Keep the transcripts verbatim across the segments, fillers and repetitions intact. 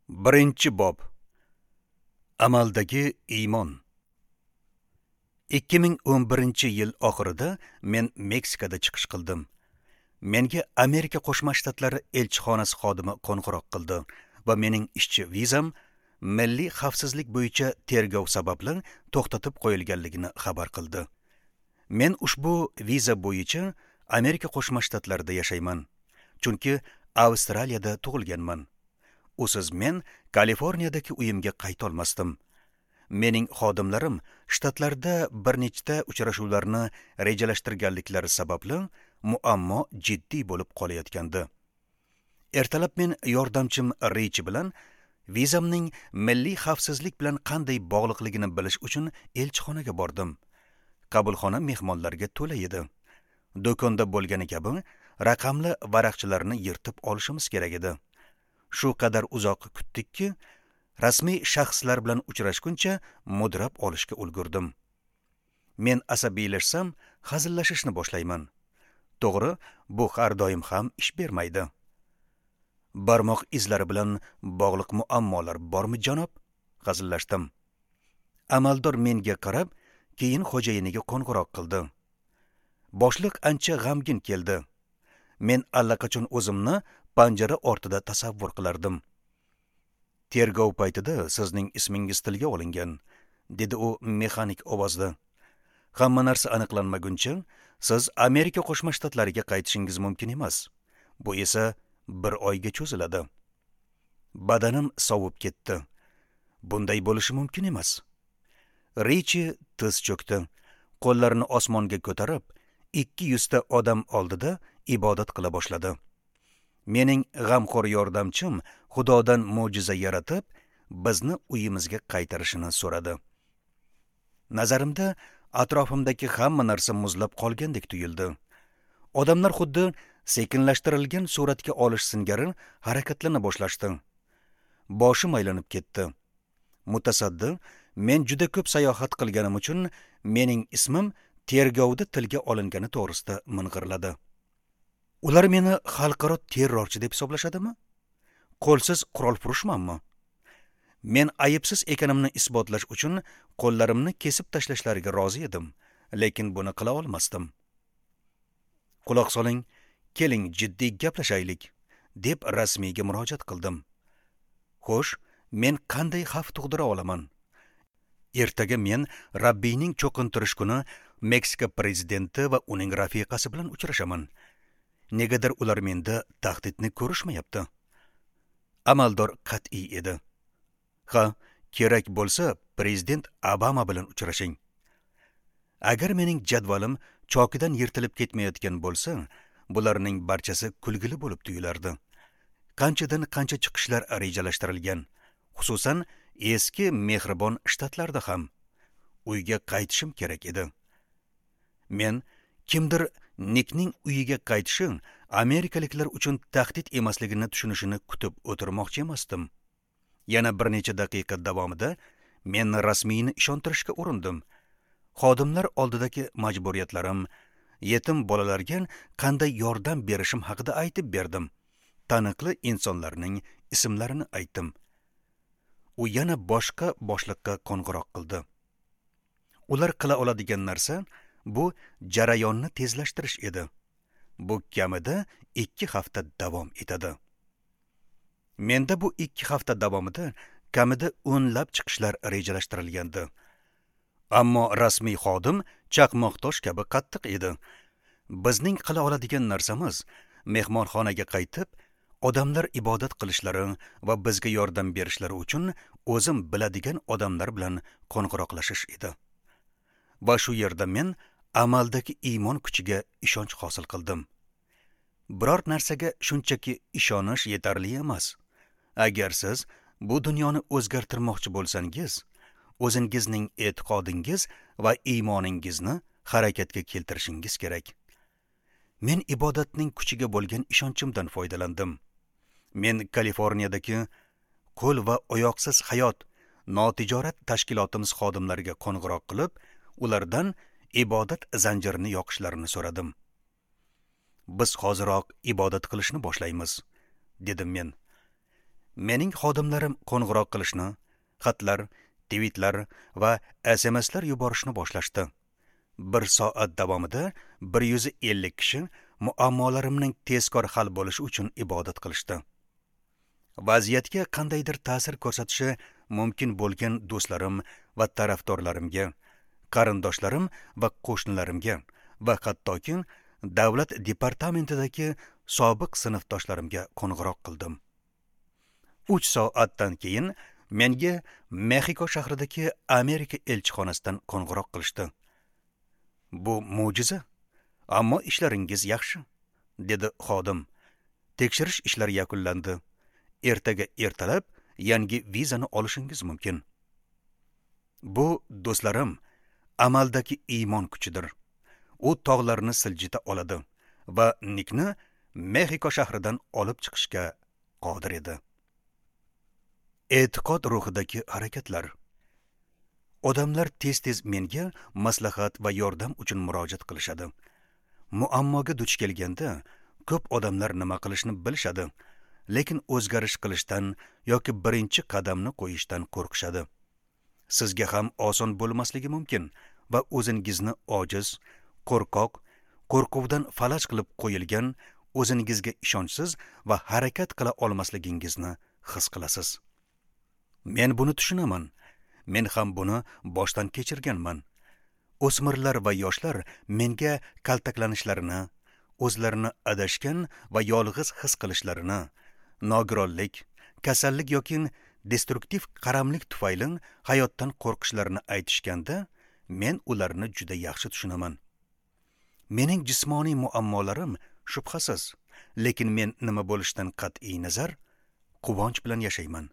Birinchi bob. Amaldagi iymon. ikki ming o'n birinchi yil oxirida men Meksikada chiqish qildim. Menga Amerika Qo'shma Shtatlari elchixonasi xodimi qo'ng'iroq qildi va mening ishchi vizam milliy xavfsizlik bo'yicha tergov sababli to'xtatib qo'yilganligini xabar qildi. Men ushbu viza bo'yicha Amerika Qo'shma Shtatlarida yashayman, chunki Avstraliyada tug'ilganman. Usiz men Kaliforniyadagi uyimga qayta olmasdim. Mening xodimlarim shtatlarda bir nechta uchrashuvlarni rejalashtirganliklari sababli muammo jiddiy bo'lib qolayotgandi. Ertalab men yordamchim Richi bilan vizamning milliy xavfsizlik bilan qanday bog'liqligini bilish uchun elchixonaga bordim. Qabulxona mehmonlarga to'la edi. Do'konda bo'lgani kabi raqamli varaqchalarni yirtib olishimiz kerak edi. Shu qadar uzoq kutdikki, rasmiy shaxslar bilan uchrashguncha mudrab olishga ulgurdim. Men asabiylashsam, hazillashishni boshlayman. To'g'ri, bu har doim ham ish bermaydi. Barmoq izlari bilan bog'liq muammolar bormi, janob? Hazillashdim. Amaldor menga qarab, keyin xo'jayiniga qo'ng'iroq qildi. Boshliq ancha g'amgin keldi. Men allaqachon o'zimni panjara ortida tasavvur qilardim. Tergov paytida sizning ismingiz tilga olingan, dedi u mexanik ovozda. Hamma narsa aniqlanmaguncha siz Amerika Qo'shma Shtatlariga qaytishingiz mumkin emas. Bu esa bir oyga cho'ziladi. Badanim sovib ketdi. Bunday bo'lishi mumkin emas. Richi tiz cho'kdi. Qo'llarini osmonga ko'tarib, ikki yuzta odam oldida ibodat qila boshladi. Mening g'amxo'r yordamchim Xudodan mo'jiza yaratib, bizni uyimizga qaytarishini so'radi. Nazarimda atrofimdagi hamma narsa muzlab qolgandek tuyuldi. Odamlar xuddi sekinlashtirilgan suratga olish singari harakatlana boshlashdi. Boshim aylanib ketdi. Mutasaddi, men juda ko'p sayohat qilganim uchun mening ismim tergovda tilga olingani to'g'risida ming'irladi. Ular meni xalqaro terrorchi deb hisoblashadimi? Qo'lsiz qurolfurushmanmi? Men aybsiz ekanimni isbotlash uchun qo'llarimni kesib tashlashlariga rozi edim, lekin buni qila olmasdim. Quloq soling, keling jiddiy gaplashaylik, deb rasmiyga murojaat qildim. Xo'sh, men qanday xavf tug'dira olaman? Ertaga men Rabbiyning cho'qintirish kuni Meksika prezidenti va uning rafiqasi bilan uchrashaman. Negadir ular menda tahdidni ko'rishmayapti. Amaldor qat'iy edi. Ha, kerak bo'lsa prezident Obama bilan uchrashing. Agar mening jadvalim chokidan yirtilib ketmayotgan bo'lsa, bularning barchasi kulgili bo'lib tuyulardi. Qanchadan qancha chiqishlar rejalashtirilgan, xususan eski mehribon shtatlarda ham. Uyga qaytishim kerak edi. Men kimdir Nikning uyiga qaytishi amerikaliklar uchun tahdid emasligini tushunishini kutib o'tirmoqchi emasdim. Yana bir necha daqiqa davomida men rasmiyni ishontirishga urindim. Xodimlar oldidagi majburiyatlarim, yetim bolalarga qanday yordam berishim haqida aytib berdim. Taniqli insonlarning ismlarini aytdim. U yana boshqa boshliqqa qo'ng'iroq qildi. Ular qila oladigan narsa bu jarayonni tezlashtirish edi. Bu kamida ikki hafta davom etadi. Menda bu ikki hafta davomida kamida o'nlab chiqishlar rejalashtirilgandi. Ammo rasmiy xodim chaqmoqtosh kabi qattiq edi. Bizning qila oladigan narsamiz mehmonxonaga qaytib, odamlar ibodat qilishlari va bizga yordam berishlari uchun o'zim biladigan odamlar bilan qo'ng'iroqlashish edi. Va shu yerda men amaldagi iymon kuchiga ishonch hosil qildim. Biror narsaga shunchaki ishonish yetarli emas. Agar siz bu dunyoni o'zgartirmoqchi bo'lsangiz, o'zingizning e'tiqodingiz va iymoningizni harakatga keltirishingiz kerak. Men ibodatning kuchiga bo'lgan ishonchimdan foydalandim. Men Kaliforniyadagi qo'l va oyoqsiz hayot notijorat tashkilotimiz xodimlariga qo'ng'iroq qilib, ulardan ibodat zanjirini yoqishlarini so'radim. Biz hoziroq ibodat qilishni boshlaymiz, dedim men. Mening xodimlarim qo'ng'iroq qilishni, xatlar, tweetlar va S M Slar yuborishni boshlashdi. Bir soat davomida bir yuz ellik kishi muammolarimning tezkor hal bo'lishi uchun ibodat qilishdi. Vaziyatga qandaydir ta'sir ko'rsatishi mumkin bo'lgan do'stlarim va tarafdorlarimga, qarindoshlarim va qo'shnilarimga va hattoki davlat departamentidagi sobiq sinfdoshlarimga qo'ng'iroq qildim. Uch soatdan keyin menga Mexiko shahridagi Amerika elchixonasidan qo'ng'iroq qilishdi. Bu mo'jiza, ammo ishlaringiz yaxshi, dedi xodim. Tekshirish ishlari yakunlandi. Ertaga ertalab yangi vizani olishingiz mumkin. Bu, do'stlarim, amaldagi iymon kuchidir. U tog'larni siljita oladi va Nikni Mexiko shahridan olib chiqishga qodir edi. E'tiqod ruhidagi harakatlar. Odamlar tez-tez menga maslahat va yordam uchun murojaat qilishadi. Muammoga duch kelganda ko'p odamlar nima qilishni bilishadi, lekin o'zgarish qilishdan yoki birinchi qadamni qo'yishdan qo'rqishadi. Sizga ham oson bo'lmasligi mumkin va o'zingizni ojiz, qo'rqoq, qo'rquvdan falaj qilib qo'yilgan, o'zingizga ishonchsiz va harakat qila olmasligingizni his qilasiz. Men buni tushunaman. Men ham buni boshdan kechirganman. O'smirlar va yoshlar menga kaltaklanishlarini, o'zlarini adashgan va yolg'iz his qilishlarini, nogironlik, kasallik yoki destruktiv qaramlik tufayli hayotdan qo'rqishlarini aytishganda, men ularni juda yaxshi tushunaman. Mening jismoniy muammolarim shubhasiz, lekin men nima bo'lishidan qat'iy nazar quvonch bilan yashayman.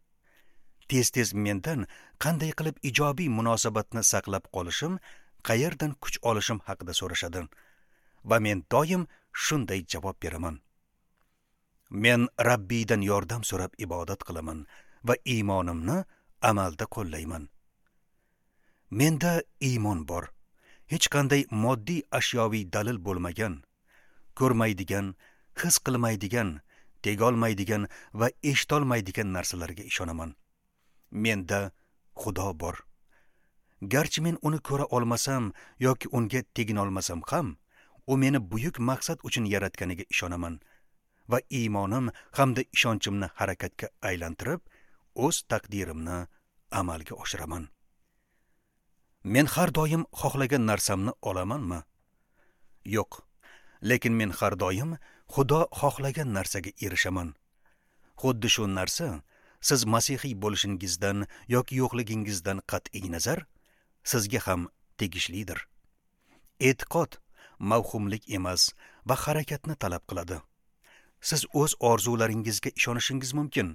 Tez-tez mendan qanday qilib ijobiy munosabatni saqlab qolishim, qayerdan kuch olishim haqida so'rashadi va men doim shunday javob beraman. Men Rabbiydan yordam so'rab ibodat qilaman va iymonimni amalda qo'llayman. Menda iymon bor. Hech qanday moddiy ashyoviy dalil bo'lmagan, ko'rmaydigan, his qilmaydigan, tegolmaydigan va eshitolmaydigan narsalarga ishonaman. Menda Xudo bor. Garchi men uni ko'ra olmasam yoki unga teginolmasam ham, u meni buyuk maqsad uchun yaratganiga ishonaman va iymonim hamda ishonchimni harakatga aylantirib, o'z taqdirimni amalga oshiraman. Men har doim xohlagan narsamni olamanmi? Yo'q. Lekin men har doim Xudo xohlagan narsaga erishaman. Xuddi shu narsa siz masihiy bo'lishingizdan yoki yo'qligingizdan qat'iy nazar sizga ham tegishlidir. E'tiqod mavhumlik emas va harakatni talab qiladi. Siz o'z orzularingizga ishonishingiz mumkin,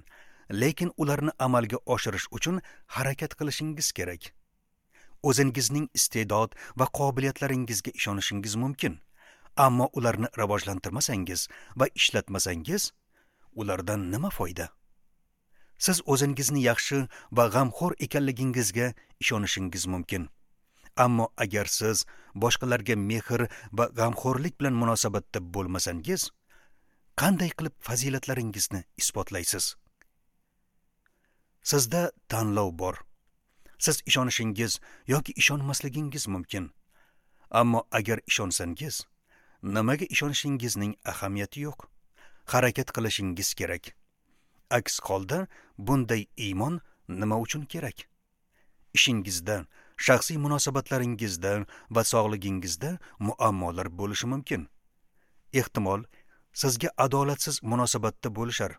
lekin ularni amalga oshirish uchun harakat qilishingiz kerak. O'zingizning iste'dod va qobiliyatlaringizga ishonishingiz mumkin, ammo ularni rivojlantirmasangiz va ishlatmasangiz, ulardan nima foyda? Siz o'zingizni yaxshi va g'amxo'r ekanligingizga ishonishingiz mumkin. Ammo agar siz boshqalarga mehr va g'amxo'rlik bilan munosabatda bo'lmasangiz, qanday qilib fazilatlaringizni isbotlaysiz? Sizda tanlov bor. Siz ishonishingiz yoki ishonmasligingiz mumkin. Ammo agar ishonsangiz, nimaga ishonishingizning ahamiyati yo'q. Harakat qilishingiz kerak. Aks holda bunday iymon nima uchun kerak? Ishingizda, shaxsiy munosabatlaringizda va sog'ligingizda muammolar bo'lishi mumkin. Ehtimol, sizga adolatsiz munosabatda bo'lishar,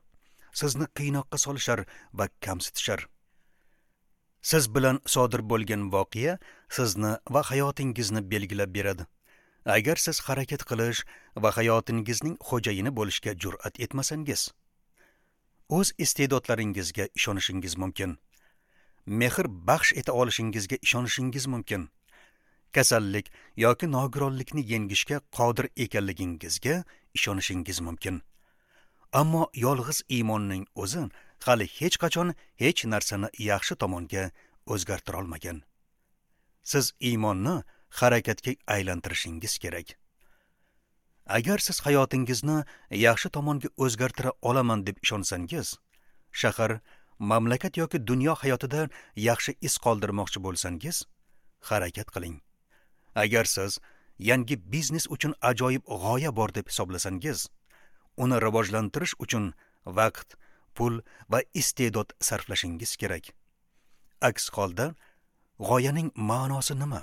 sizni qiynoqqa solishar va kamsitishar. Siz bilan sodir bo'lgan voqea sizni va hayotingizni belgilab beradi. Agar siz harakat qilish va hayotingizning xo'jayini bo'lishga jur'at etmasangiz, o'z iste'dodlaringizga ishonishingiz mumkin. Mehr baxsh eta olishingizga ishonishingiz mumkin. Kasallik yoki nogironlikni yengishga qodir ekanligingizga ishonishingiz mumkin. Ammo yolg'iz iymonning o'zi hali hech qachon hech narsani yaxshi tomonga o'zgartira olmagan. Siz iymonni harakatga aylantirishingiz kerak. Agar siz hayotingizni yaxshi tomonga o'zgartira olaman deb ishonsangiz, Shahar, mamlakat yoki dunyo hayotida yaxshi iz qoldirmoqchi bo'lsangiz, harakat qiling. Agar siz yangi biznes uchun ajoyib g'oya bor deb hisoblasangiz, uni rivojlantirish uchun vaqt, pul va iste'dod sarflashingiz kerak. Aks holda g'oyaning ma'nosi nima?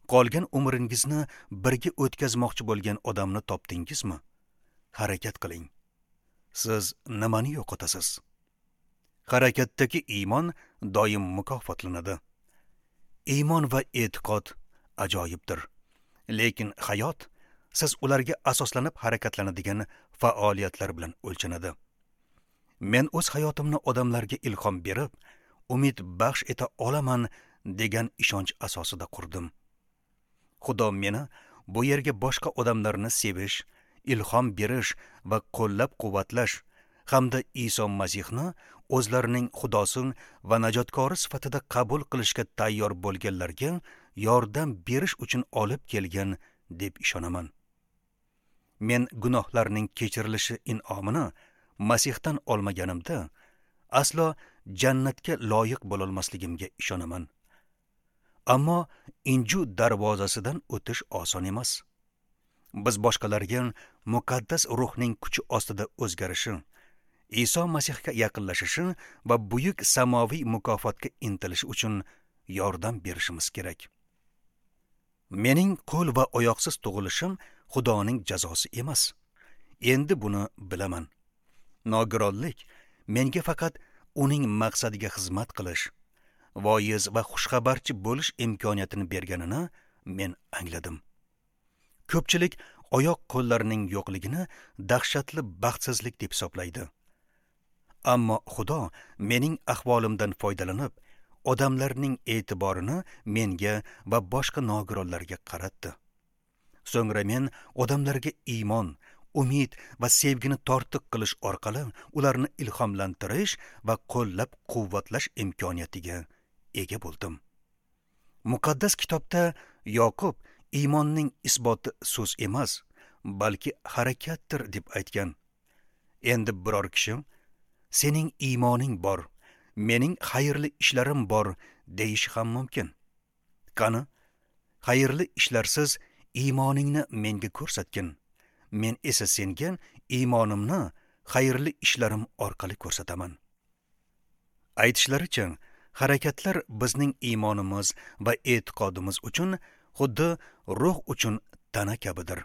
Qolgan umringizni birga o'tkazmoqchi bo'lgan odamni topdingizmi? Harakat qiling. Siz nimani yo'qotasiz? Harakatdagi iymon doim mukofotlanadi. Iymon va e'tiqod ajoyibdir. Lekin hayot siz ularga asoslanib harakatlanadigan faoliyatlar bilan o'lchanadi. Men o'z hayotimni odamlarga ilhom berib, umid baxsh eta olaman degan ishonch asosida qurdim. Xudo meni bu yerga boshqa odamlarni sevish, ilhom berish va qo'llab-quvvatlash hamda Iso Masihni o'zlarining Xudosi va najotkori sifatida qabul qilishga tayyor bo'lganlarga yordam berish uchun olib kelgan deb ishonaman. Men gunohlarning kechirilishi in'omini Masihdan olmaganimda aslo jannatga loyiq bo'lolmasligimga ishonaman. Ammo inju darvozasidan o'tish oson emas. Biz boshqalarga muqaddas ruhning kuchi ostida o'zgarishi, Iso Masihga yaqinlashishi va buyuk samoviy mukofotga intilishi uchun yordam berishimiz kerak. Mening qo'l va oyoqsiz tug'ilishim Xudoning jazosi emas. Endi buni bilaman. Nogironlik menga faqat uning maqsadiga xizmat qilish, voiz va xushxabarchi bo'lish imkoniyatini berganini men angladim. Ko'pchilik oyoq qo'llarining yo'qligini dahshatli baxtsizlik deb hisoblaydi. Ammo Xudo mening ahvolimdan foydalanib, odamlarning e'tiborini menga va boshqa nogironlarga qaratdi. So'ngra men odamlarga iymon, umid va sevgini tortiq qilish orqali ularni ilhomlantirish va qo'llab-quvvatlash imkoniyatiga ega bo'ldim. Muqaddas kitobda Yoqub iymonning isboti so'z emas, balki harakatdir deb aytgan. Endi biror kishi sening iymoning bor, mening xayrli ishlarim bor deyish ham mumkin. Qani, xayrli ishlarsiz iymoningni menga ko'rsatgin. Men esa senga iymonimni xayrli ishlarim orqali ko'rsataman. Aytishlaricha, harakatlar bizning iymonimiz va e'tiqodimiz uchun xuddi ruh uchun tana kabidir.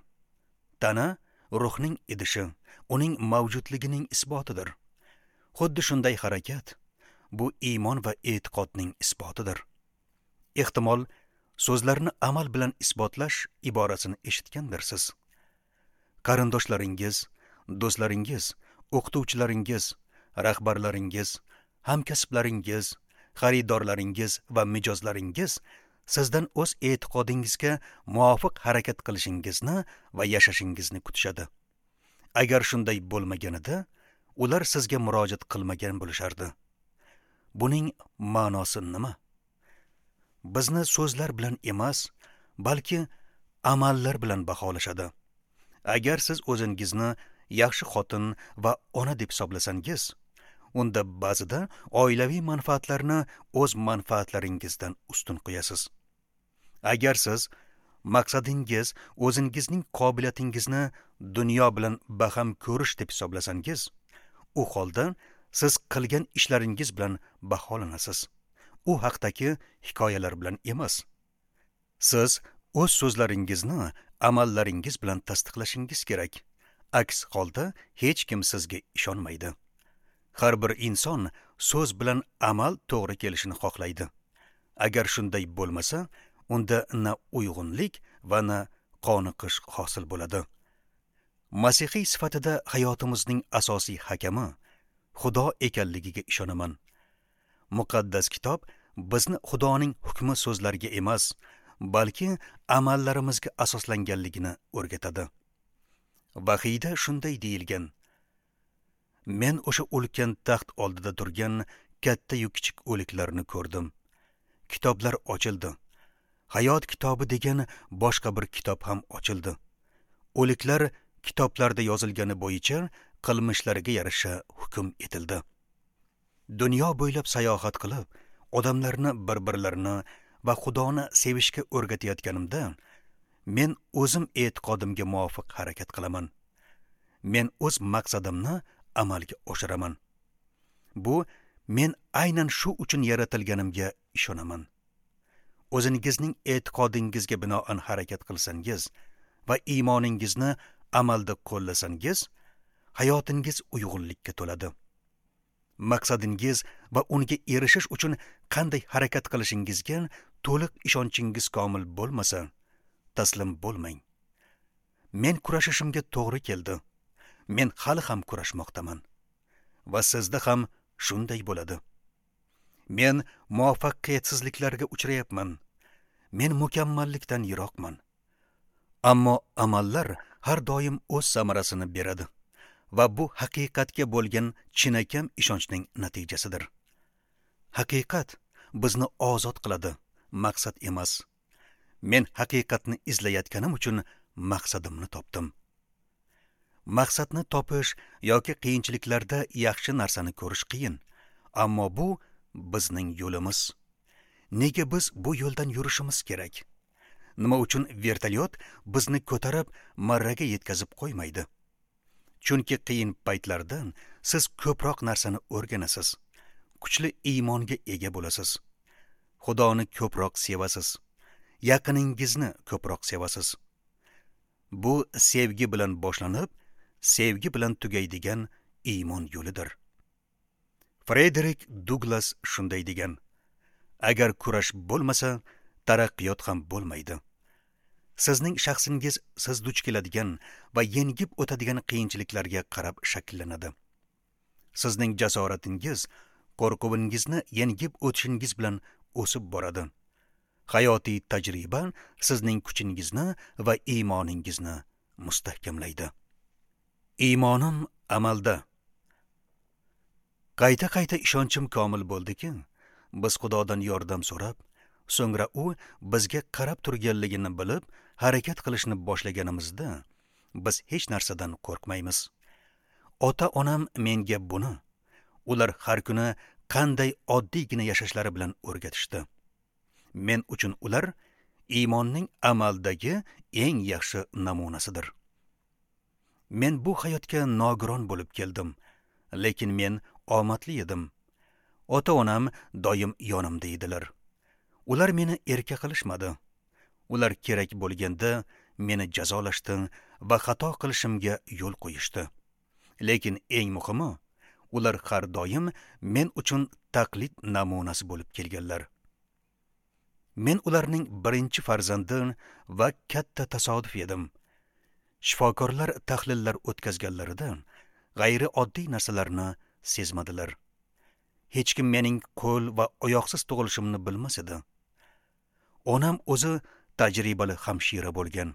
Tana ruhning idishi, uning mavjudligining isbotidir. Xuddi shunday harakat bu iymon va e'tiqodning isbotidir. Ehtimol so'zlarni amal bilan isbotlash iborasini eshitgandirsiz. Qarindoshlaringiz, do'stlaringiz, o'qituvchilaringiz, rahbarlaringiz, hamkasblaringiz, xaridorlaringiz va mijozlaringiz sizdan o'z e'tiqodingizga muvofiq harakat qilishingizni va yashashingizni kutishadi. Agar shunday bo'lmaganida, ular sizga murojaat qilmagan bo'lishardi. Buning ma'nosi nima? Bizni so'zlar bilan emas, balki amallar bilan baholashadi. Agar siz o'zingizni yaxshi xotin va ona deb hisoblasangiz, unda ba'zida oilaviy manfaatlarni o'z manfaatlaringizdan ustun qo'yasiz. Agar siz maqsadingiz o'zingizning qobiliyatingizni dunyo bilan baham ko'rish deb hisoblasangiz, u holda siz qilgan ishlaringiz bilan baholanasiz. U haqdagi hikoyalar bilan emas. Siz o'z so'zlaringizni amallaringiz bilan tasdiqlashingiz kerak. Aks holda hech kim sizga ishonmaydi. Har bir inson so'z bilan amal to'g'ri kelishini xohlaydi. Agar shunday bo'lmasa, unda na uyg'unlik va na qoniqish hosil bo'ladi. Masihiy sifatida hayotimizning asosiy hakami Xudo ekanligiga ishonaman. Muqaddas kitob bizni Xudoning hukmi so'zlariga emas, balki amallarimizga asoslanganligini o'rgatadi. Vahiyda shunday deyilgan: Men o'sha ulkan taxt oldida turgan katta-yu kichik o'liklarni ko'rdim. Kitoblar ochildi. Hayot kitobi degan boshqa bir kitob ham ochildi. O'liklar kitoblarda yozilgani bo'yicha qilmishlariga yarasha hukm etildi. Dunyo bo'ylab sayohat qilib, odamlarni bir-birlarini va Xudoni sevishga o'rgatayotganimda, men o'zim e'tiqodimga muvofiq harakat qilaman. Men o'z maqsadimni amalga oshiraman. Bu men aynan shu uchun yaratilganimga ishonaman. O'zingizning e'tiqodingizga binoan harakat qilsangiz va iymoningizni amalda qo'llasangiz, hayotingiz uyg'unlikka to'ladi. Maqsadingiz va unga erishish uchun qanday harakat qilishingizga to'liq ishonchingiz komil bo'lmasa, taslim bo'lmang. Men kurashishimga to'g'ri keldi. Men hali ham kurashmoqdaman. Va sizda ham shunday bo'ladi. Men muvaffaqiyatsizliklarga uchrayapman. Men mukammallikdan yiroqman. Ammo amallar har doim o'z samarasini beradi va bu haqiqatga bo'lgan chinakam ishonchning natijasidir. Haqiqat bizni ozod qiladi, maqsad emas. Men haqiqatni izlayotganim uchun maqsadimni topdim. Maqsadni topish yoki qiyinchiliklarda yaxshi narsani ko'rish qiyin, ammo bu bizning yo'limiz. Nega biz bu yo'ldan yurishimiz kerak? Nima uchun vertolyot bizni ko'tarib marraga yetkazib qo'ymaydi? Chunki qiyin paytlardan siz ko'proq narsani o'rganasiz, kuchli iymonga ega bo'lasiz, Xudoni ko'proq sevasiz, yaqiningizni ko'proq sevasiz. Bu sevgi bilan boshlanib, sevgi bilan tugaydigan iymon yo'lidir. Frederik Duglas shunday degan: agar kurash bo'lmasa, taraqqiyot ham bo'lmaydi. Sizning shaxsingiz siz duch keladigan va yengib o'tadigan qiyinchiliklarga qarab shakllanadi. Sizning jasoratingiz qo'rquvingizni yengib o'tishingiz bilan o'sib boradi. Hayotiy tajriba sizning kuchingizni va iymoningizni mustahkamlaydi. Iymonim amalda. Qayta-qayta ishonchim komil bo'ldiki, biz Xudodan yordam so'rab, so'ngra u bizga qarab turganligini bilib, harakat qilishni boshlaganimizda biz hech narsadan qo'rqmaymiz. Ota-onam menga buni, ular har kuni qanday oddiygina yashashlari bilan o'rgatishdi. Men uchun ular iymonning amaldagi eng yaxshi namunasidir. Men bu hayotga nogiron bo'lib keldim, lekin men omadli edim. Ota-onam doim yonimda edilar. Ular meni erka qilishmadi. Ular kerak bo'lganda meni jazolashdi va xato qilishimga yo'l qo'yishdi. Lekin eng muhimi, ular har doim men uchun taqlid namunasi bo'lib kelganlar. Men ularning birinchi farzandi va katta tasodif edim. Shifokorlar tahlillar o'tkazganlarida g'ayrioddiy narsalarni sezmadilar. Hech kim mening qo'l va oyoqsiz tug'ilishimni bilmas edi. Onam o'zi tajribali hamshira bo'lgan,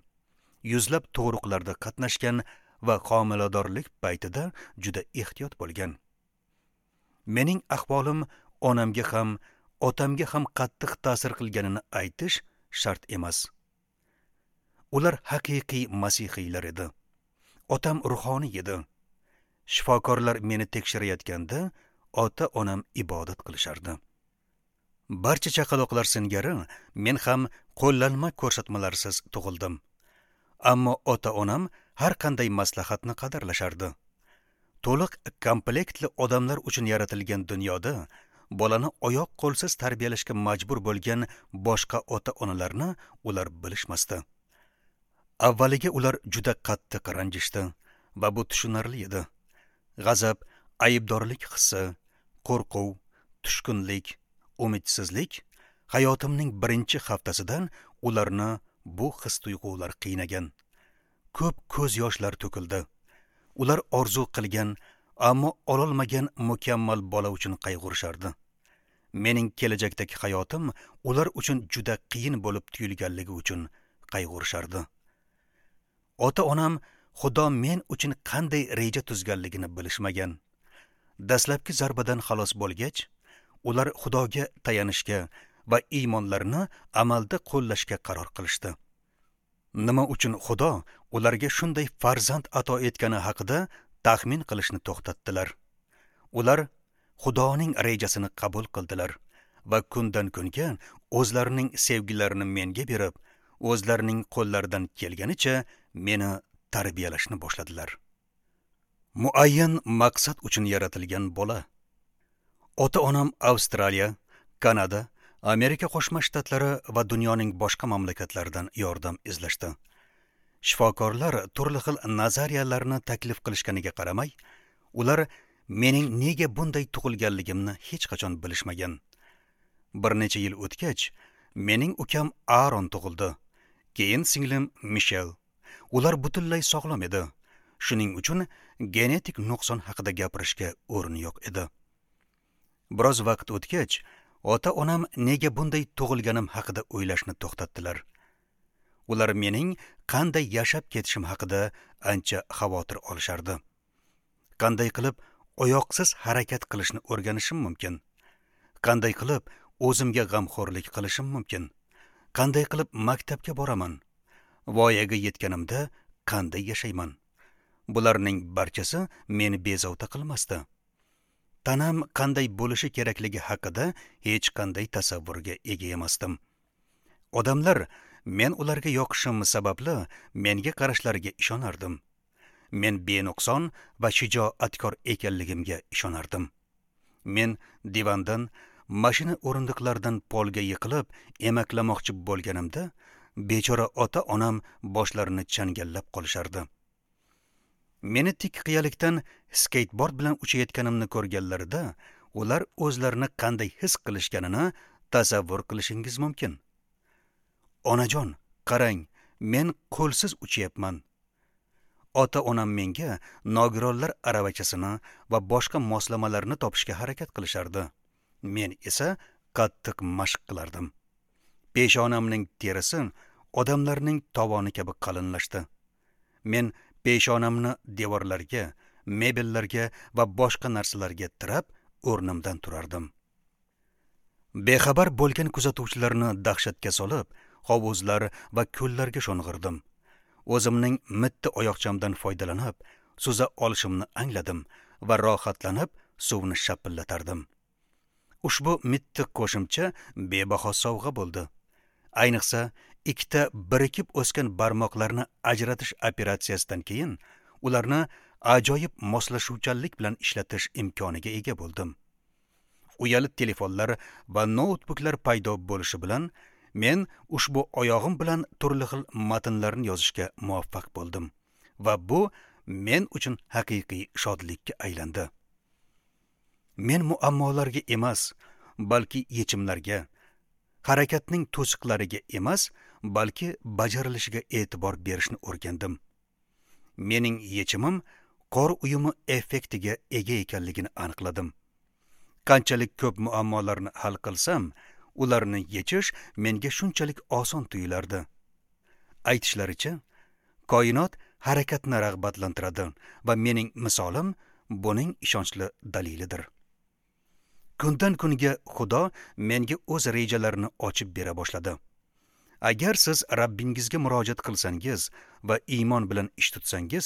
yuzlab tug'ruqlarda qatnashgan va homiladorlik paytida juda ehtiyot bo'lgan. Mening ahvolim onamga ham, otamga ham qattiq ta'sir qilganini aytish shart emas. Ular haqiqiy masihiylar edi. Otam ruhoniy edi. Shifokorlar meni tekshirayotganda ota-onam ibodat qilishardi. Barcha chaqaloqlar singari men ham qo'llanma ko'rsatmalarsiz tug'ildim. Ammo ota-onam har qanday maslahatni qadrlashardi. To'liq komplektli odamlar uchun yaratilgan dunyoda bolani oyoq qo'lsiz tarbiyalashga majbur bo'lgan boshqa ota-onalarni ular bilishmasdi. Avvaliga ular juda qattiq ranjishdi va bu tushunarli edi. G'azab, aybdorlik hissi, qo'rquv, tushkunlik, umidsizlik hayotimning birinchi haftasidan ularni bu his-tuyg'ular qiynagan. Ko'p ko'z yoshlar to'kildi. Ular orzu qilgan, ammo ololmagan mukammal bola uchun qayg'urishardi. Mening kelajakdagi hayotim ular uchun juda qiyin bo'lib tuyulganligi uchun qayg'urishardi. Ota-onam Xudo men uchun qanday reja tuzganligini bilishmagan. Dastlabki zarbadan xalos bo'lgach, ular Xudoga tayanishga va iymonlarini amalda qo'llashga qaror qilishdi. Nima uchun Xudo ularga shunday farzand ato etgani haqida taxmin qilishni to'xtatdilar. Ular Xudoning rejasini qabul qildilar va kundan kunga o'zlarining sevgilarini menga berib, o'zlarining qo'llaridan kelganicha meni tarbiyalashni boshladilar. Muayyan maqsad uchun yaratilgan bola. Ota-onam Avstraliya, Kanada, Amerika Qo'shma Shtatlari va dunyoning boshqa mamlakatlaridan yordam izlashdi. Shifokorlar turli xil nazariyalarni taklif qilishganiga qaramay, ular mening nega bunday tug'ilganligimni hech qachon bilishmagan. Bir necha yil o'tgach, mening ukam Aaron tug'ildi. Keyin singlim Mishel. Ular butunlay sog'lom edi. Shuning uchun genetik nuqson haqida gapirishga o'rin yo'q edi. Biroz vaqt o'tgach, ota-onam nega bunday tug'ilganim haqida o'ylashni to'xtatdilar. Ular mening qanday yashab ketishim haqida ancha xavotir olishardi. Qanday qilib oyoqsiz harakat qilishni o'rganishim mumkin? Qanday qilib o'zimga g'amxo'rlik qilishim mumkin? Qanday qilib maktabga boraman? Voyaga yetganimda qanday yashayman? Bularning barchasi meni bezovta qilmasdi. Tanam qanday bo'lishi kerakligi haqida hech qanday tasavvurga ega emasdim. Odamlar men ularga yoqishim sababli menga qarashlariga ishonardim. Men benuqson va shijoatkor ekanligimga ishonardim. Men divandan, mashina o'rindiqlaridan polga yiqilib emaklamoqchi bo'lganimda, bechora ota-onam boshlarini changallab qolishardi. Meni tik qiyalikdan skateboard bilan uchayotganimni ko'rganlarida, ular o'zlarini qanday his qilishganini tasavvur qilishingiz mumkin. Onajon, qarang, men qo'lsiz uchayapman. Ota-onam menga nogironlar aravachasini va boshqa moslamalarni topishga harakat qilishardi. Men esa qattiq mashq qilardim. Peshonamning terisi odamlarning tovoni kabi qalinlashdi. Men peshonamni devorlarga, mebellarga va boshqa narsalarga tirab o'rnimdan turardim. Bexabar bo'lgan kuzatuvchilarni dahshatga solib, hovuzlar va ko'llarga sho'ng'irdim. O'zimning mitti oyoqchamdan foydalanib, suza olishimni angladim va rohatlanib suvni shapillatardim. Ushbu mitti qo'shimcha bebaho sovg'a bo'ldi. Ayniqsa, ikkita birikib o'sgan barmoqlarni ajratish operatsiyasidan keyin ularni ajoyib moslashuvchanlik bilan ishlatish imkoniga ega bo'ldim. Uyali telefonlar va noutbuklar paydo bo'lishi bilan men ushbu oyog'im bilan turli xil matnlarni yozishga muvaffaq bo'ldim va bu men uchun haqiqiy shodlikka aylandi. Men muammolarga emas, balki yechimlarga, harakatning to'siqlariga emas, balki bajarilishiga e'tibor berishni o'rgandim. Mening yechimim qor uyumi effektiga ega ekanligini aniqladim. Qanchalik ko'p muammolarni hal qilsam, ularni yechish menga shunchalik oson tuyulardi. Aytishlaricha, koinot harakatni rag'batlantiradi va mening misolim buning ishonchli dalilidir. Kundan kunga Xudo menga o'z rejalarini ochib bera boshladi. Agar siz Rabbingizga murojaat qilsangiz va iymon bilan ish tutsangiz,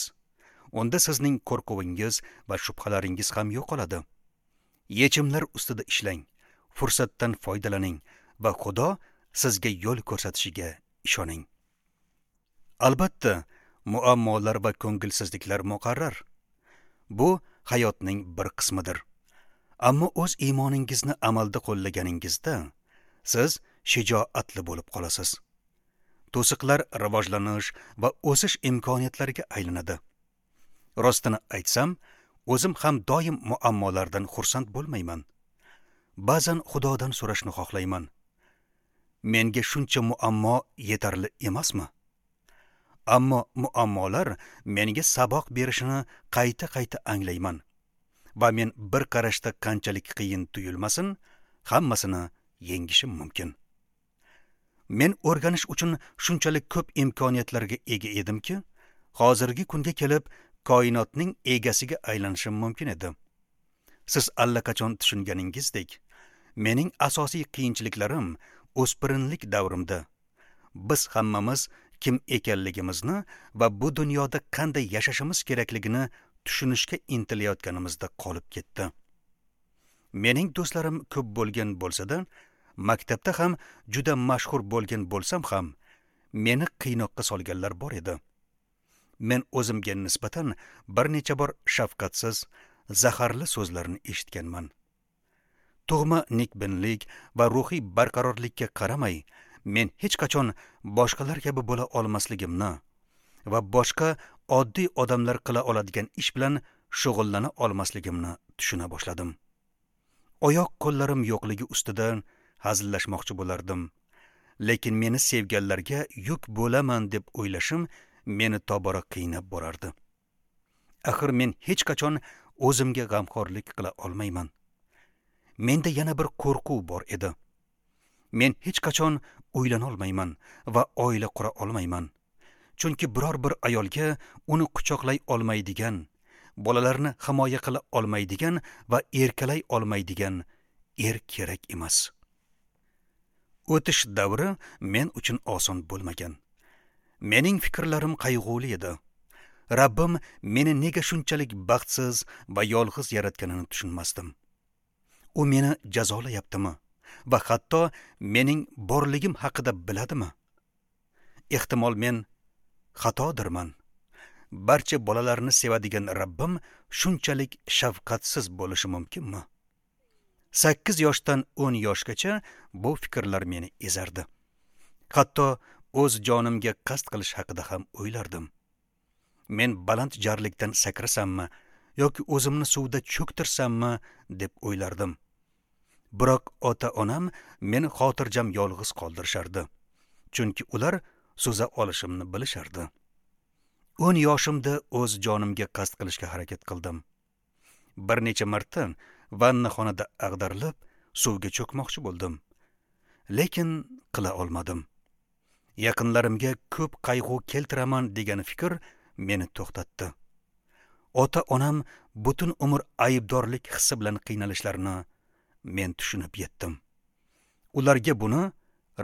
unda sizning qo'rquvingiz va shubhalaringiz ham yo'qoladi. Yechimlar ustida ishlang, fursatdan foydalaning va Xudo sizga yo'l ko'rsatishiga ishoning. Albatta, muammolar va ko'ngilsizliklar muqarrar. Bu hayotning bir qismidir. Ammo o'z iymoningizni amalda qo'llaganingizda siz shijoatli bo'lib qolasiz. To'siqlar rivojlanish va o'sish imkoniyatlariga aylanadi. Rostini aytsam, o'zim ham doim muammolardan xursand bo'lmayman. Ba'zan Xudodan so'rashni xohlayman. Menga shuncha muammo yetarli emasmi? Ammo muammolar menga saboq berishini qayta-qayta anglayman. Va men bir qarashda qanchalik qiyin tuyulmasin, hammasini yengishim mumkin. Men o'rganish uchun shunchalik ko'p imkoniyatlarga ega edimki, hozirgi kunga kelib koinotning egasiga aylanishim mumkin edi. Siz allaqachon tushunganingizdek, mening asosiy qiyinchiliklarim o'spirinlik davrimda. Biz hammamiz kim ekanligimizni va bu dunyoda qanday yashashimiz kerakligini tushunishga intilayotganimizda qolib ketdi. Mening do'stlarim ko'p bo'lgan bo'lsa-da, maktabda ham juda mashhur bo'lgan bo'lsam ham, meni qiynoqqa solganlar bor edi. Men o'zimga nisbatan bir necha bor shafqatsiz, zaharli so'zlarni eshitganman. Tug'ma nikbinlik va ruhiy barqarorlikka qaramay, men hech qachon boshqalar kabi bo'la olmasligimni va boshqa oddiy odamlar qila oladigan ish bilan shug'ullana olmasligimni tushuna boshladim. Oyoq qo'llarim yo'qligi ustida hazillashmoqchi bo'lardim. Lekin meni sevganlarga yuk bo'laman deb o'ylashim meni tobora qiynab borardi. Axir men hech qachon o'zimga g'amxo'rlik qila olmayman. Menda yana bir qo'rquv bor edi. Men hech qachon uylana olmayman va oila qura olmayman. Chunki biror bir ayolga uni quchoqlay olmaydigan, bolalarni himoya qila olmaydigan va erkalay olmaydigan er kerak emas. O'tish davri men uchun oson bo'lmagan. Mening fikrlarim qayg'uli edi. Rabbim meni nega shunchalik baxtsiz va yolg'iz yaratganini tushunmasdim. U meni jazolayaptimi va hatto mening borligim haqida biladimi? Ehtimol men xatodirman. Barcha bolalarni sevadigan Rabbim shunchalik shafqatsiz bo'lishi mumkinmi? Sakkiz yoshdan o'n yoshgacha bu fikrlar meni ezardi. Hatto o'z jonimga qasd qilish haqida ham o'ylardim. Men baland jarlikdan sakrasammi yoki o'zimni suvda cho'ktirsammi deb o'ylardim. Biroq ota-onam meni xotirjam yolg'iz qoldirishardi. Chunki ular suza olishimni bilishardi. O'n yoshimda o'z jonimga qasd qilishga harakat qildim. Bir necha marta vannaxonada ag'darilib suvga cho'kmoqchi bo'ldim. Lekin qila olmadim. Yaqinlarimga ko'p qayg'u keltiraman degan fikr meni to'xtatdi. Ota-onam butun umr aybdorlik hissi bilan qiynalishlarini men tushunib yetdim. Ularga buni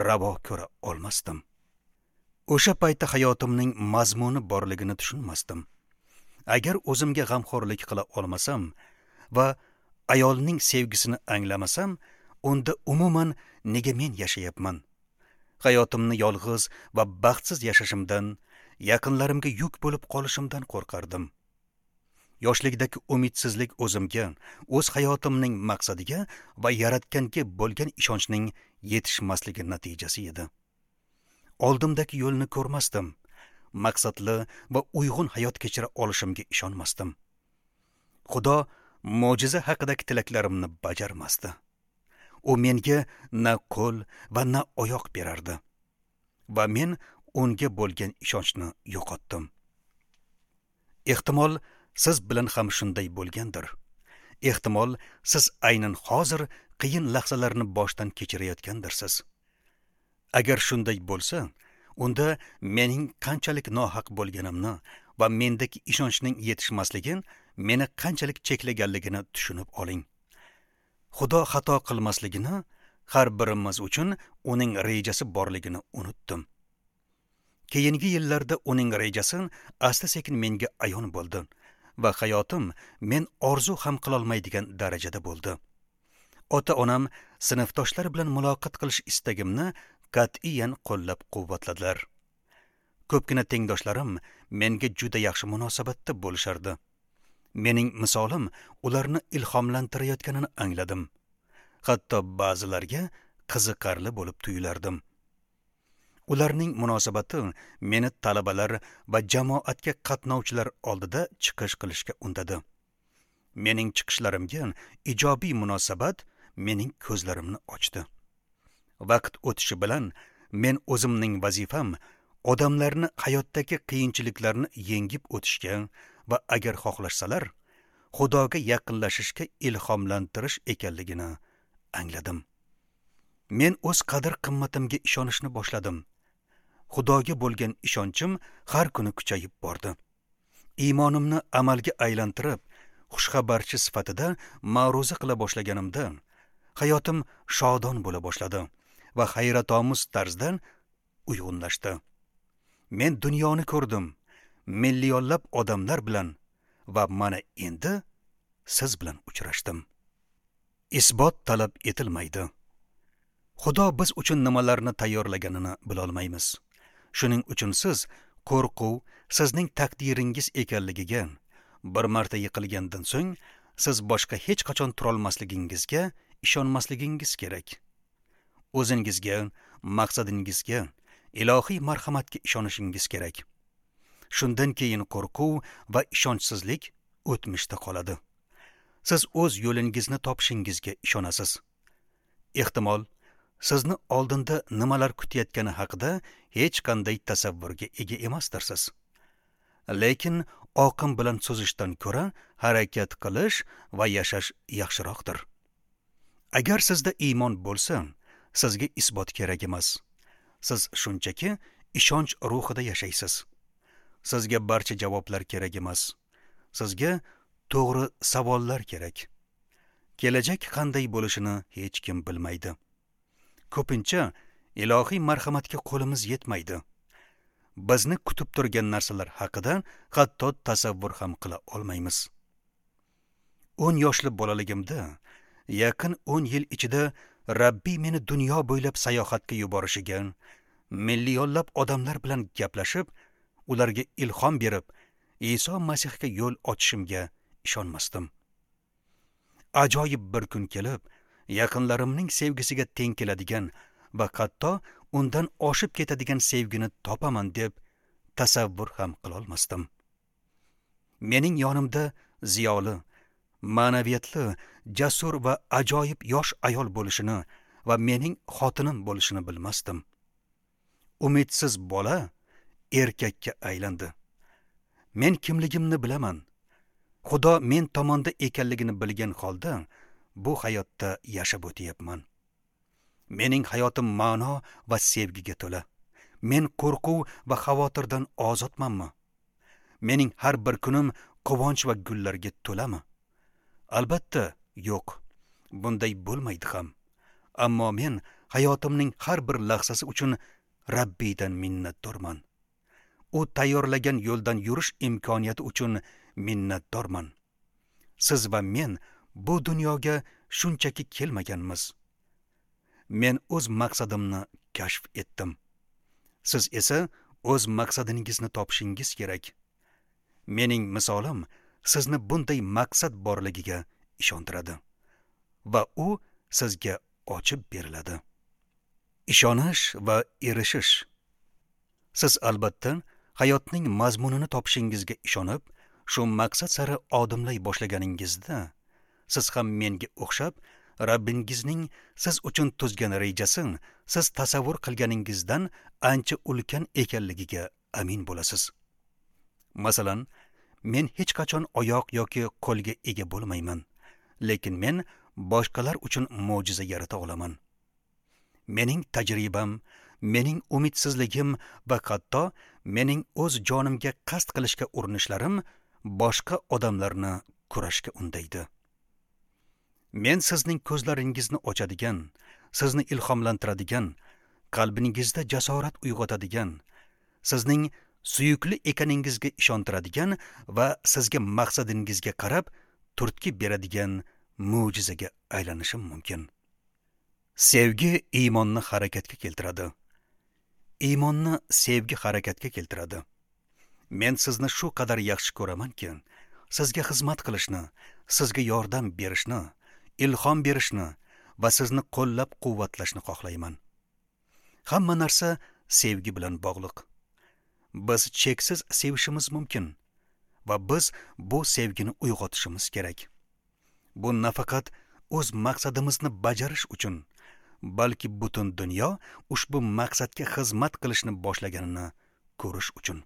ravo ko'ra olmasdim. O'sha paytda hayotimning mazmuni borligini tushunmasdim. Agar o'zimga g'amxo'rlik qila olmasam va ayolning sevgisini anglamasam, unda umuman nega men yashayapman? Hayotimni yolg'iz va baxtsiz yashashimdan, yaqinlarimga yuk bo'lib qolishimdan qo'rqardim. Yoshlikdagi umidsizlik o'zimga, o'z hayotimning maqsadiga va yaratganga bo'lgan ishonchning yetishmasligi natijasi edi. Oldimdagi yo'lni ko'rmasdim, maqsadli va uyg'un hayot kechira olishimga ishonmasdim. Xudo mo'jiza haqidagi tilaklarimni bajarmasdi. U menga na qo'l va na oyoq berardi va men unga bo'lgan ishonchni yo'qotdim. Ehtimol siz bilan ham shunday bo'lgandir. Ehtimol siz aynan hozir qiyin lahzalarni boshdan kechirayotgandirsiz. Agar shunday bo'lsa, unda mening qanchalik nohaq bo'lganimni va mendagi ishonchning yetishmasligi meni qanchalik cheklaganligini tushunib oling. Xudo xato qilmasligini, har birimiz uchun uning rejasi borligini unutdim. Keyingi yillarda uning rejasi asta-sekin menga ayon bo'ldi va hayotim men orzu ham qilolmaydigan darajada bo'ldi. Ota-onam sinfdoshlar bilan muloqot qilish istagimni qat'iyan qo'llab-quvvatladilar. Ko'pgina tengdoshlarim menga juda yaxshi munosabatda bo'lishardi. Mening misolim ularni ilhomlantirayotganini angladim. Hatto ba'zilarga qiziqarli bo'lib tuyulardim. Ularning munosabati meni talabalar va jamoatga qatnovchilar oldida chiqish qilishga undadi. Mening chiqishlarimga ijobiy munosabat mening ko'zlarimni ochdi. Vaqt o'tishi bilan men o'zimning vazifam odamlarni hayotdagi qiyinchiliklarni yengib o'tishga va agar xohlashsalar, Xudoga yaqinlashishga ilhomlantirish ekanligini angladim. Men o'z qadr-qimmatimga ishonishni boshladim. Xudoga bo'lgan ishonchim har kuni kuchayib bordi. Iymonimni amalga aylantirib, xushxabarchi sifatida ma'ruza qila boshlaganimda, hayotim shodon bo'la boshladi va hayratomuz tarzda uyg'unlashdi. Men dunyoni ko'rdim, millionlab odamlar bilan va mana endi siz bilan uchrashdim. Isbot talab etilmaydi. Xudo biz uchun nimalarni tayyorlaganini bilolmaymiz. Shuning uchun siz qo'rquv sizning taqdiringiz ekanligiga, bir marta yiqilgandan so'ng siz boshqa hech qachon turolmasligingizga ishonmasligingiz kerak. O'zingizga, maqsadingizga, ilohiy marhamatga ishonishingiz kerak. Shundan keyin qo'rquv va ishonchsizlik o'tmishda qoladi. Siz o'z yo'lingizni topishingizga ishonasiz. Ehtimol, sizni oldinda nimalar kutayotgani haqida hech qanday tasavvurga ega emasdirsiz. Lekin oqim bilan suzishdan ko'ra harakat qilish va yashash yaxshiroqdir. Agar sizda iymon bo'lsa, sizga isbot kerak emas. Siz shunchaki ishonch ruhida yashaysiz. Sizga barcha javoblar kerak emas. Sizga to'g'ri savollar kerak. Kelajak qanday bo'lishini hech kim bilmaydi. Ko'pincha ilohiy marhamatga qo'limiz yetmaydi. Bizni kutib turgan narsalar haqida hatto tasavvur ham qila olmaymiz. o'n yoshli bolaligimda, yaqin o'n yil ichida Rabbiy meni dunyo bo'ylab sayohatga yuborishiga, millionlab odamlar bilan gaplashib, ularga ilhom berib, Iso Masihga yo'l ochishimga ishonmasdim. Ajoyib bir kun kelib, yaqinlarimning sevgisiga teng keladigan va hatto undan oshib ketadigan sevgini topaman deb tasavvur ham qilolmasdim. Mening yonimda ziyoli, ma'naviyatli, jasur va ajoyib yosh ayol bo'lishini va mening xotinim bo'lishini bilmasdim. Umidsiz bola erkakka aylandi. Men kimligimni bilaman. Xudo men tomonda ekanligini bilgan holda bu hayotda yashab o'tyapman. Mening hayotim ma'no va sevgiga to'la. Men qo'rquv va xavotirdan ozodmanmi? Mening har bir kunim quvonch va gullarga to'lami? Albatta, yo'q. Bunday bo'lmaydi ham. Ammo men hayotimning har bir lahzasi uchun Rabbiydan minnatdorman. U tayyorlagan yo'ldan yurish imkoniyati uchun minnatdorman. Siz va men bu dunyoga shunchaki kelmaganmiz. Men o'z maqsadimni kashf etdim. Siz esa o'z maqsadingizni topishingiz kerak. Mening misolim sizni bunday maqsad borligiga ishontiradi va u sizga ochib beriladi. Ishonish va erishish. Siz albatta hayotning mazmunini topishingizga ishonib, shu maqsad sari odimlay boshlaganingizda, siz ham menga o'xshab Rabbingizning siz uchun tuzgan rejasi siz tasavvur qilganingizdan ancha ulkan ekanligiga amin bo'lasiz. Masalan, men hech qachon oyoq yoki qo'lga ega bo'lmayman, lekin men boshqalar uchun mo'jiza yarata olaman. Mening tajribam, mening umidsizligim va hatto mening o'z jonimga qasd qilishga urinishlarim boshqa odamlarni kurashga undaydi. Men sizning ko'zlaringizni ochadigan, sizni ilhomlantiradigan, qalbingizda jasorat uyg'otadigan, sizning suyukli ekaningizga ishontiradigan va sizga maqsadingizga qarab turtki beradigan mo'jizaga aylanishim mumkin. Sevgi iymonni harakatga keltiradi. Iymonni sevgi harakatga keltiradi. Men sizni shu qadar yaxshi ko'ramanki, sizga xizmat qilishni, sizga yordam berishni, ilhom berishni va sizni qo'llab-quvvatlashni xohlayman. Hamma narsa sevgi bilan bog'liq. Biz cheksiz sevishimiz mumkin va biz bu sevgini uyg'otishimiz kerak. Bu nafaqat o'z maqsadimizni bajarish uchun, balki butun dunyo ushbu maqsadga xizmat qilishni boshlaganini ko'rish uchun.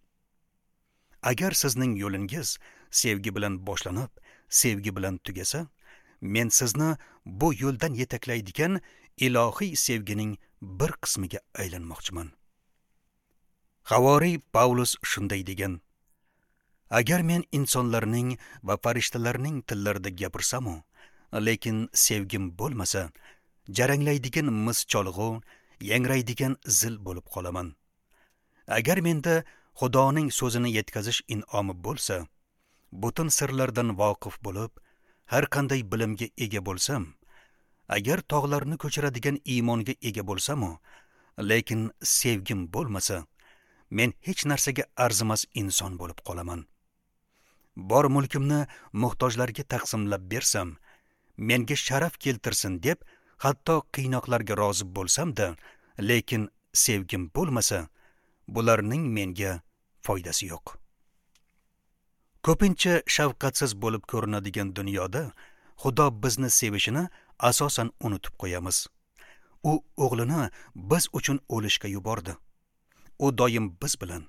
Agar sizning yo'lingiz sevgi bilan boshlanib, sevgi bilan tugasa, men sizni bu yo'ldan yetaklaydigan ilohiy sevgining bir qismiga aylanmoqchiman. Havoriy Pavlus shunday degan: Agar men insonlarning va farishtalarning tillarida gapirsam-u, lekin sevgim bo'lmasa, jaranglaydigan mis cholg'u, yangraydigan zil bo'lib qolaman. Agar menda Xudoning so'zini yetkazish in'omi bo'lsa, butun sirlardan voqif bo'lib, har qanday bilimga ega bo'lsam, Agar tog'larni ko'chiradigan iymonga ega bo'lsam-u, lekin sevgim bo'lmasa, men hech narsaga arzimas inson bo'lib qolaman. Bor mulkimni muhtojlarga taqsimlab bersam, menga sharaf keltirsin deb hatto qiynoqlarga rozi bo'lsam-da, lekin sevgim bo'lmasa, bularning menga foydasi yo'q. Ko'pincha shafqatsiz bo'lib ko'rinadigan dunyoda Xudo bizni sevishini asosan unutib qo'yamiz. U o'g'lini biz uchun o'lishga yubordi. U doim biz bilan.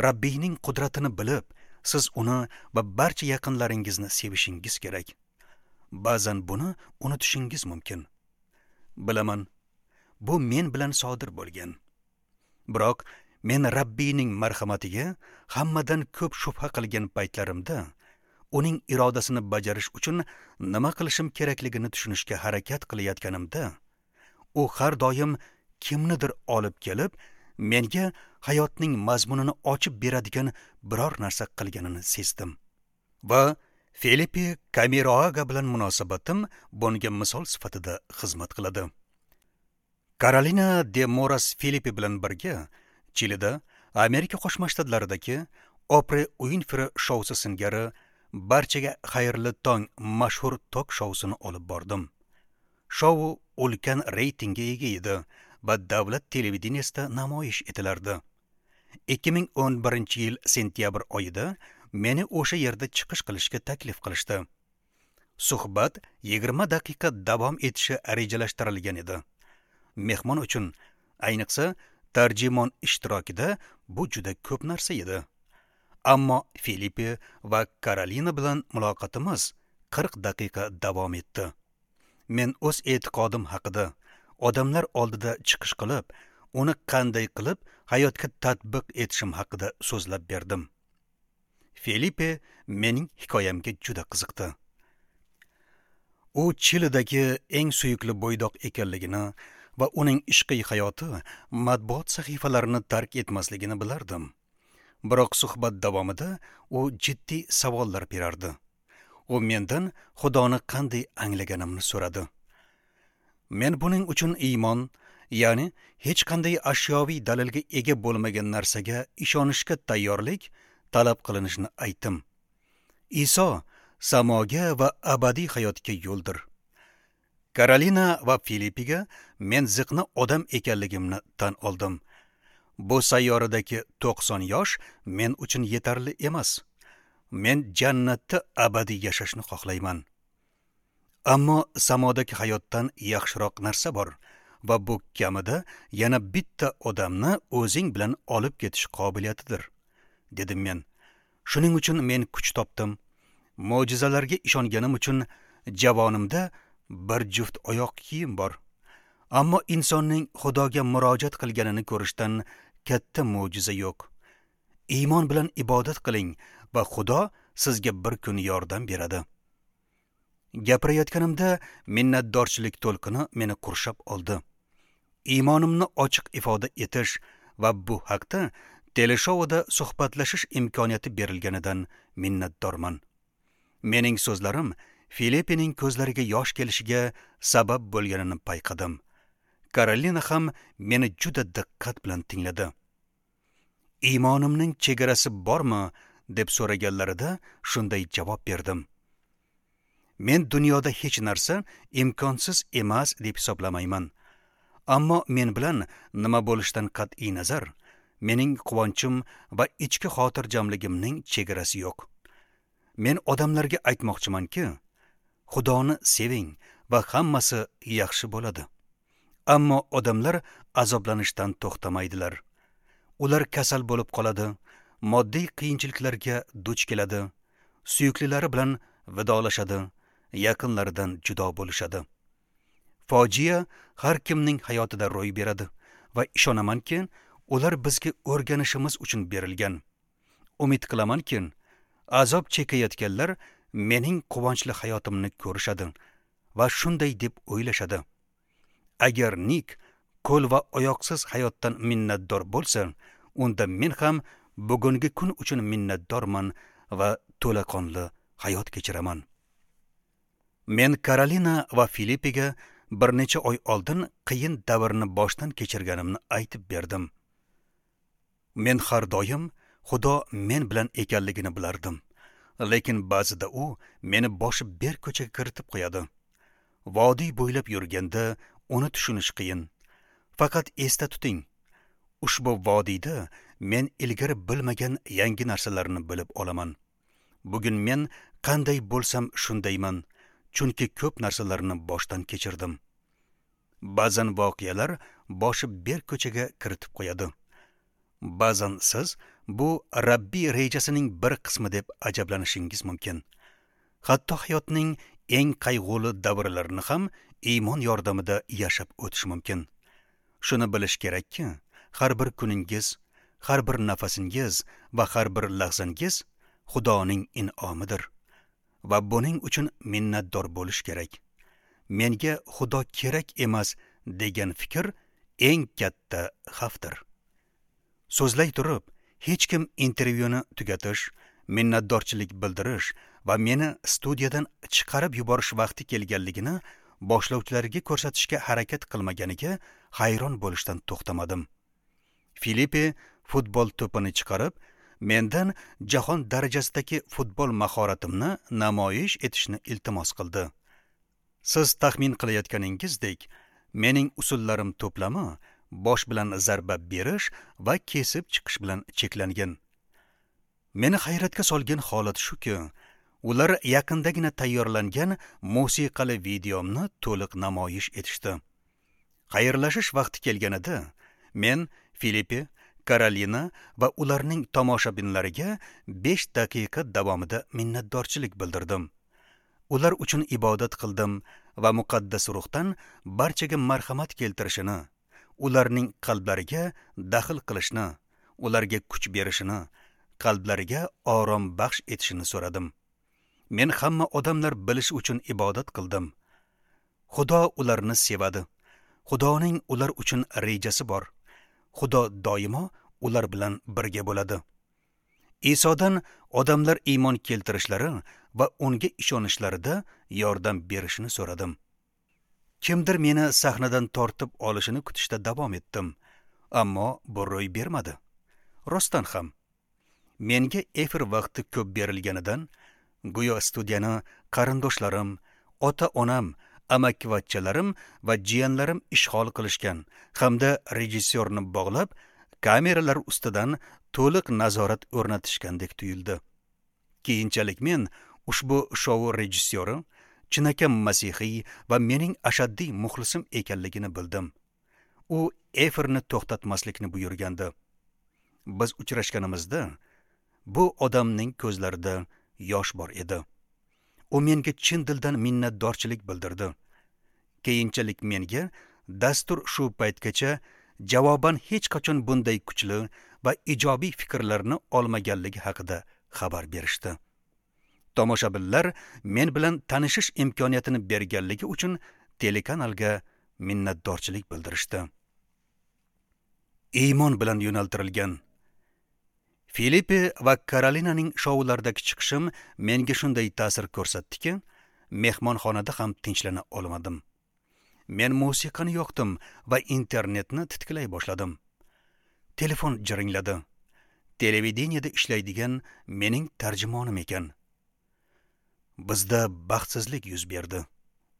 Rabbiyning qudratini bilib, siz uni va barcha yaqinlaringizni sevishingiz kerak. Ba'zan buni unutishingiz mumkin. Bilaman, bu men bilan sodir bo'lgan. Biroq men Rabbiyning marhamatiga hammadan ko'p shubha qilgan paytlarimda uning irodasini bajarish uchun nima qilishim kerakligini tushunishga harakat qilayotganimda, u har doim kimnidir olib kelib, menga hayotning mazmunini ochib beradigan biror narsa qilganini sezdim. Va Felipe Camiroaga bilan munosabatim bunga misol sifatida xizmat qiladi. Karolina de Moras Felipe bilan birga Chilida Amerika Qo'shma Shtatlaridagi Opra Uinfri shousi singari barchaga xayrli tong mashhur tok shousini olib bordim. Shou ulkan reytingga ega edi va davlat televideniyasida namoyish etilardi. ikki ming o'n birinchi yil sentyabr oyida meni o'sha yerda chiqish qilishga taklif qilishdi. Suhbat yigirma daqiqa davom etishi rejalashtirilgan edi. Mehmon uchun, ayniqsa tarjimon ishtirokida bu juda ko'p narsa edi. Ammo Felipe va Karolina bilan muloqotimiz qirq daqiqa davom etdi. Men o'z e'tiqodim haqida odamlar oldida chiqish qilib, uni qanday qilib hayotga tatbiq etishim haqida so'zlab berdim. Felipe mening hikoyamga juda qiziqdi. U Chilidagi eng suyukli bo'ydoq ekanligini va uning ishqiy hayoti matbuot sahifalarini tark etmasligini bilardim. Biroq suhbat davomida u jiddiy savollar berardi. U mendan Xudoni qanday anglaganimni so'radi. Men buning uchun iymon, ya'ni hech qanday ashyoviy dalilga ega bo'lmagan narsaga ishonishga tayyorlik talab qilinishini aytdim. Iso samoga va abadiy hayotga yo'ldir. Karolina va Filipiga men ziqna odam ekanligimni tan oldim. Bu sayyoradagi to'qson yosh men uchun yetarli emas. Men jannatda abadiy yashashni xohlayman. Ammo samodagi hayotdan yaxshiroq narsa bor va bu kamida yana bitta odamni o'zing bilan olib ketish qobiliyatidir, dedim men. Shuning uchun men kuch topdim. Mo'jizalarga ishonganim uchun javonimda bir juft oyoq kiyim bor. Ammo insonning Xudoga murojaat qilganini ko'rishdan katta mo'jiza yo'q. Iymon bilan ibodat qiling va Xudo sizga bir kun yordam beradi. Gapirayotganimda minnatdorchilik to'lqini meni qurshab oldi. Iymonimni ochiq ifoda etish va bu haqda teleshouda suhbatlashish imkoniyati berilganidan minnatdorman. Mening so'zlarim Filipining ko'zlariga yosh kelishiga sabab bo'lganini payqadim. Karolina ham meni juda diqqat bilan tingladi. Iymonimning chegarasi bormi deb so'raganlarida shunday javob berdim. Men dunyoda hech narsa imkonsiz emas deb hisoblamayman. Ammo men bilan nima bo'lishidan qat'iy nazar, mening quvonchim va ichki xotirjamligimning chegarasi yo'q. Men odamlarga aytmoqchimanki, Xudoni seving va hammasi yaxshi bo'ladi. Ammo odamlar azoblanishdan to'xtamaydilar. Ular kasal bo'lib qoladi, moddiy qiyinchiliklarga duch keladi, suyuklilari bilan vidolashadi, yaqinlaridan judo bo'lishadi. Fojia har kimning hayotida ro'y beradi va ishonamanki, ular bizga o'rganishimiz uchun berilgan. Umid qilamanki, azob chekayotganlar mening quvonchli hayotimni ko'rishadi va shunday deb o'ylashadi. Agar Nik qo'l va oyoqsiz hayotdan minnatdor bo'lsa, unda men ham bugungi kun uchun minnatdorman va to'laqonli hayot kechiraman. Men Karolina va Filipiga bir necha oy oldin qiyin davrni boshdan kechirganimni aytib berdim. Men har doim Xudo men bilan ekanligini bilardim, lekin ba'zida u meni boshi berk ko'chaga kiritib qo'yadi. Vodiy bo'ylab yurganda uni tushunish qiyin. Faqat esda tuting, ushbu vodiyda men ilgari bilmagan yangi narsalarni bilib olaman. Bugun men qanday bo'lsam shundayman, chunki ko'p narsalarni boshdan kechirdim. Ba'zan voqealar boshi berk ko'chaga kiritib qo'yadi. Ba'zan siz bu Rabbiy rejasining bir qismi deb ajablanishingiz mumkin. Hatto hayotning eng qayg'uli davrlarini ham iymon yordamida yashab o'tish mumkin. Shuni bilish kerakki, har bir kuningiz, har bir nafasingiz va har bir lahzangiz Xudoning in'omidir va buning uchun minnatdor bo'lish kerak. Menga Xudo kerak emas degan fikr eng katta xavfdir. So'zlay turib, hech kim intervyuni tugatish, minnatdorchilik bildirish va meni studiyadan chiqarib yuborish vaqti kelganligini boshlovchilarga ko'rsatishga harakat qilmaganiga hayron bo'lishdan to'xtamadim. Filipe futbol to'pini chiqarib, mendan jahon darajasidagi futbol mahoratimni namoyish etishni iltimos qildi. Siz taxmin qilayotganingizdek, mening usullarim to'plami bosh bilan zarba berish va kesib chiqish bilan cheklangan. Meni hayratga solgan holat shuki, ular yaqindagina tayyorlangan musiqali videomni to'liq namoyish etishdi. Xayrlashish vaqti kelganida men Filipe, Karolina va ularning tomoshabinlariga besh daqiqa davomida minnatdorchilik bildirdim. Ular uchun ibodat qildim va muqaddas ruhdan barchaga marhamat keltirishini, ularning qalblariga daxl qilishni, ularga kuch berishini, qalblariga orom baxsh etishini so'radim. Men hamma odamlar bilishi uchun ibodat qildim. Xudo ularni sevadi. Xudoning ular uchun rejasi bor. Xudo doimo ular bilan birga bo'ladi. Isodan odamlar iymon keltirishlari va unga ishonishlarida yordam berishini so'radim. Kimdir meni sahnadan tortib olishini kutishda davom etdim, ammo bu ro'y bermadi. Rostdan ham menga efir vaqti ko'p berilganidan, go'yo studiyani qarindoshlarim, ota-onam, amakivachchalarim va jiyanlarim ishg'ol qilishgan hamda rejissyorni bog'lab, kameralar ustidan to'liq nazorat o'rnatishgandek tuyuldi. Keyinchalik men ushbu shou rejissyori chinakam masihiy va mening ashaddiy muxlisim ekanligini bildim. U efirni to'xtatmaslikni buyurgandi. Biz uchrashganimizda bu odamning ko'zlarida yosh bor edi. U menga chin dildan minnatdorchilik bildirdi. Keyinchalik menga dastur shu paytgacha javoban hech qachon bunday kuchli va ijobiy fikrlarni olmaganligi haqida xabar berishdi. Tomoshabinlar men bilan tanishish imkoniyatini berganligi uchun telekanalga minnatdorchilik bildirishdi. Iymon bilan yo'naltirilgan Filipe va Karolinaning shoularidagi chiqishim menga shunday ta'sir ko'rsatdiki, mehmonxonada ham tinchlana olmadim. Men musiqani yoqdim va internetni titkilay boshladim. Telefon jiringladi. Televideniyada ishlaydigan mening tarjimonim ekan. Bizda baxtsizlik yuz berdi,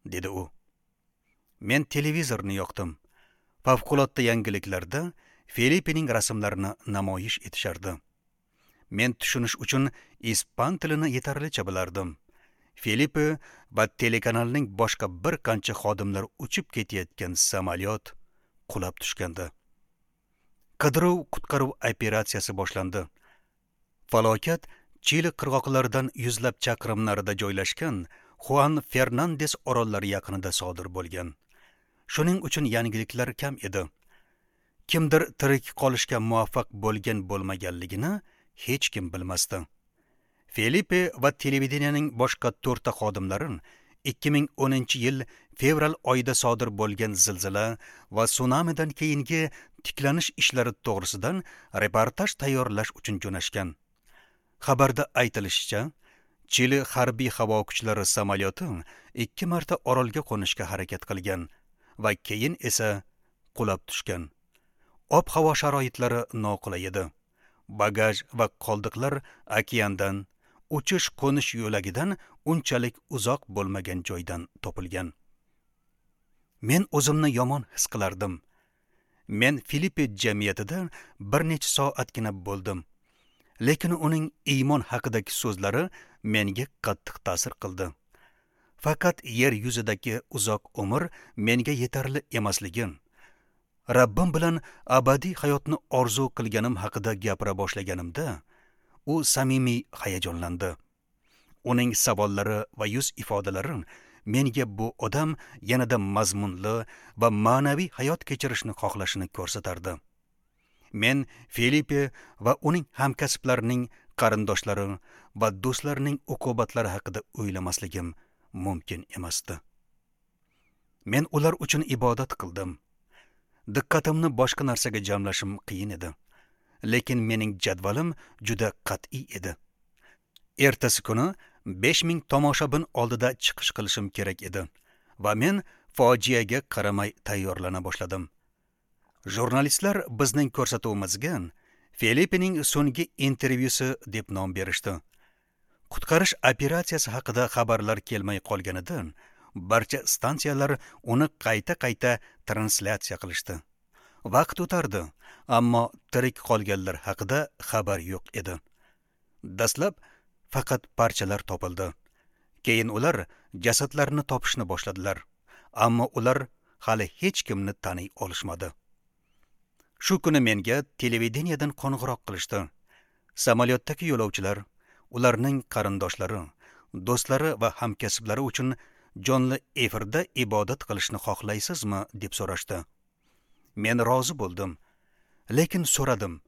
dedi u. Men televizorni yoqdim. Favqulodda yangiliklarda Filipening rasmlarini namoyish etishardi. Men tushunish uchun ispan tilini yetarlicha bilardim. Filipe va telekanalning boshqa bir qancha xodimlar uchib ketayotgan samolyot qulab tushgandi. Qidiruv-qutqaruv operatsiyasi boshlandi. Falokat Chili qirg'oqlaridan yuzlab chaqirim narida joylashgan Juan Fernandes orollari yaqinida sodir bo'lgan. Shuning uchun yangiliklar kam edi. Kimdir tirik qolishga muvaffaq bo'lgan bo'lmaganligini hech kim bilmasdi. Felipe va televideniyaning boshqa to'rtta xodimlari ikki ming o'ninchi yil fevral oyida sodir bo'lgan zilzila va sunamidan keyingi tiklanish ishlari to'g'risidan reportaj tayyorlash uchun jo'nashgan. Xabarda aytilishicha, Chili harbiy havo kuchlari samolyoti ikki marta orolga qo'nishga harakat qilgan, va keyin esa qulab tushgan. Ob-havo sharoitlari noqulay edi. Bagaj va qoldiqlar okeandan, uchish qo'nish yo'lagidan unchalik uzoq bo'lmagan joydan topilgan. Men o'zimni yomon his qilardim. Men Filippe jamiyatida bir necha soatgina bo'ldim. Lekin uning iymon haqidagi so'zlari menga qattiq ta'sir qildi. Faqat yer yuzidagi uzoq umr menga yetarli emasligi, Rabbim bilan abadiy hayotni orzu qilganim haqida gapira boshlaganimda, u samimiy hayajonlandi. Uning savollari va yuz ifodalari menga bu odam yanada mazmunli va ma'naviy hayot kechirishni xohlashini ko'rsatardi. Men Filippe va uning hamkasblarining qarindoshlari va do'stlarining uqubatlari haqida o'ylamasligim mumkin emasdi. Men ular uchun ibodat qildim. Diqqatimni boshqa narsaga jamlashim qiyin edi. Lekin mening jadvalim juda qat'iy edi. Ertasi kuni besh ming tomoshabin oldida chiqish qilishim kerak edi va men fojiaga qaramay tayyorlana boshladim. Jurnalistlar bizning ko'rsatuvimizga Filippening so'nggi intervyusi deb nom berishdi. Qutqarish operatsiyasi haqida xabarlar kelmay qolganidan barcha stansiyalar uni qayta-qayta translyatsiya qilishdi. Vaqt o'tardi, ammo tirik qolganlar haqida xabar yo'q edi. Dastlab faqat parchalar topildi. Keyin ular jasadlarni topishni boshladilar, ammo ular hali hech kimni taniy olishmadi. Shu kuni menga televideniyadan qo'ng'iroq qilishdi. Samolyotdagi yo'lovchilar, ularning qarindoshlari, do'stlari va hamkasblari uchun jonli efirda ibodat qilishni xohlaysizmi deb so'rashdi. Men rozi bo'ldim, lekin so'radim.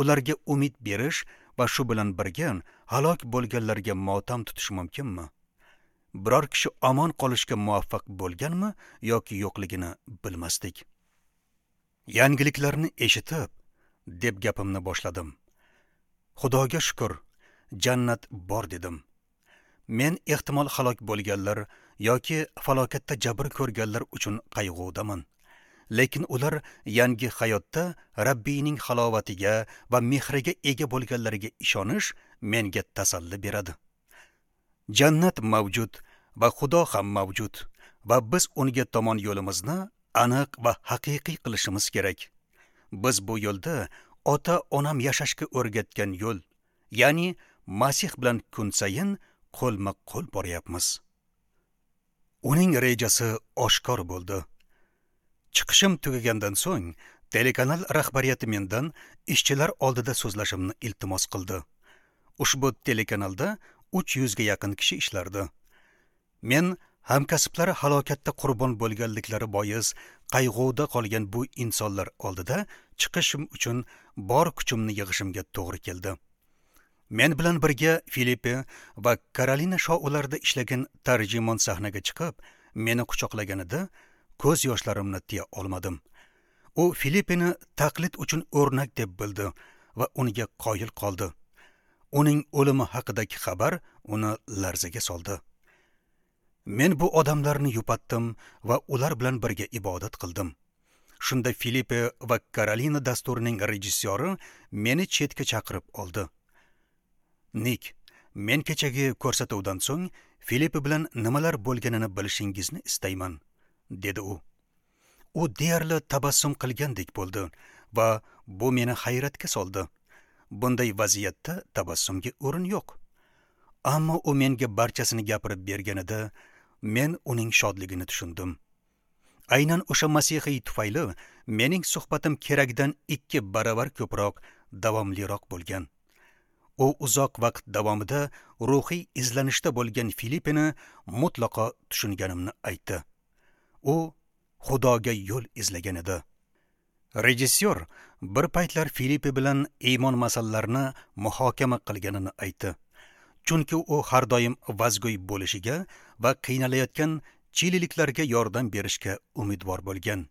Ularga umid berish va shu bilan birga halok bo'lganlarga motam tutish mumkinmi? Biror kishi omon qolishga muvaffaq bo'lganmi yoki yo'qligini bilmasdik. Yangiliklarni eshitib, deb gapimni boshladim. Xudoga shukr, jannat bor dedim. Men ehtimol halok bo'lganlar yoki falokatda jabr ko'rganlar uchun qayg'udaman. Lekin ular yangi hayotda Rabbiyning halovatiga va mehriga ega bo'lganlariga ishonish menga tasalli beradi. Jannat mavjud va Xudo ham mavjud va biz unga tomon yo'limizni aniq va haqiqiy qilishimiz kerak. Biz bu yo'lda ota-onam yashashga o'rgatgan yo'l, ya'ni Masih bilan kun sayin qo'lma-qo'l boryapmiz. Uning rejasi oshkor bo'ldi. Chiqishim tugagandan so'ng telekanal rahbariyati mendan ishchilar oldida so'zlashimni iltimos qildi. Ushbu telekanalda uch yuzga yaqin kishi ishlardi. Men hamkasblari halokatda qurbon bo'lganliklari bois qayg'uda qolgan bu insonlar oldida chiqishim uchun bor kuchimni yig'ishimga to'g'ri keldi. Men bilan birga Filippe va Karolina shoularida ishlagan tarjimon sahnaga chiqib, meni quchoqlaganida ko'z yoshlarimni tiya olmadim. U Filippeni taqlid uchun o'rnak deb bildi va unga qoyil qoldi. Uning o'limi haqidagi xabar uni larzaga soldi. Men bu odamlarni yupatdim va ular bilan birga ibodat qildim. Shunda Filippe va Karolina dasturining rejissyori meni chetga chaqirib oldi. Nik, men kechagi ko'rsatuvdan so'ng Filippe bilan nimalar bo'lganini bilishingizni istayman, dedi u. U deyarli tabassum qilgandek bo'ldi va bu meni hayratga soldi. Bunday vaziyatda tabassumga o'rin yo'q. Ammo u menga barchasini gapirib berganida men uning shodligini tushundim. Aynan o'sha masihiy tufayli mening suhbatim keragidan ikki baravar ko'proq davomliroq bo'lgan. U uzoq vaqt davomida ruhiy izlanishda bo'lgan Filippeni mutlaqo tushunganimni aytdi. U Xudoga yo'l izlagan edi. Rejissyor bir paytlar Filippe bilan iymon masalalarini muhokama qilganini aytdi. Chunki u har doim vazgo'y bo'lishiga va qiynalayotgan chililiklarga yordam berishga umidvor bo'lgan.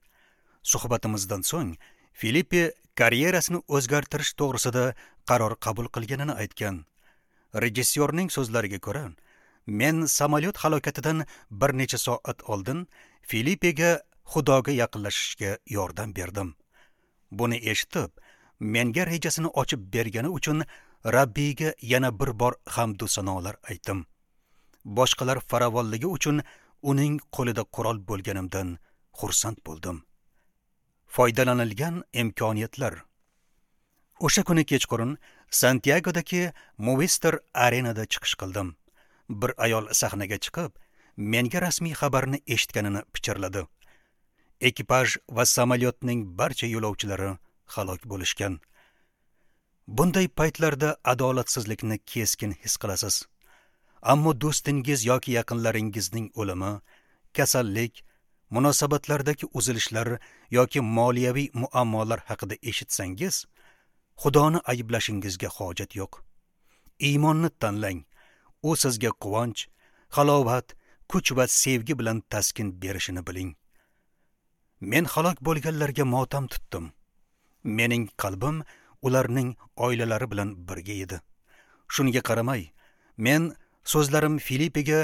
Suhbatimizdan so'ng Filippe karyerasini o'zgartirish to'g'risida qaror qabul qilganini aytgan. Rejissyorning so'zlariga ko'ra, men samolyot halokatidan bir necha soat oldin Filippega Xudoga yaqinlashishga yordam berdim. Buni eshitib, menga rejasini ochib bergani uchun Rabbiyga yana bir bor hamd va sanolar aytdim. Boshqalar farovonligi uchun uning qo'lida qurol bo'lganimdan xursand bo'ldim. Foydalanilgan imkoniyatlar. O'sha kuni kechqurun Santyagodagi Movistar Arenada chiqish qildim. Bir ayol sahnaga chiqib, menga rasmiy xabarni eshitganini pichirladi. Ekipaj va samolyotning barcha yo'lovchilari halok bo'lishgan. Bunday paytlarda adolatsizlikni keskin his qilasiz. Ammo do'stingiz yoki yaqinlaringizning o'limi, kasallik, munosabatlardagi uzilishlar yoki moliyaviy muammolar haqida eshitsangiz, Xudoni ayblashingizga hojat yo'q. Iymonni tanlang. U sizga quvonch, halovat, kuch va sevgi bilan taskin berishini biling. Men halok bo'lganlarga motam tutdim. Mening qalbim ularning oilalari bilan birga edi. Shunga qaramay, men so'zlarim Filippega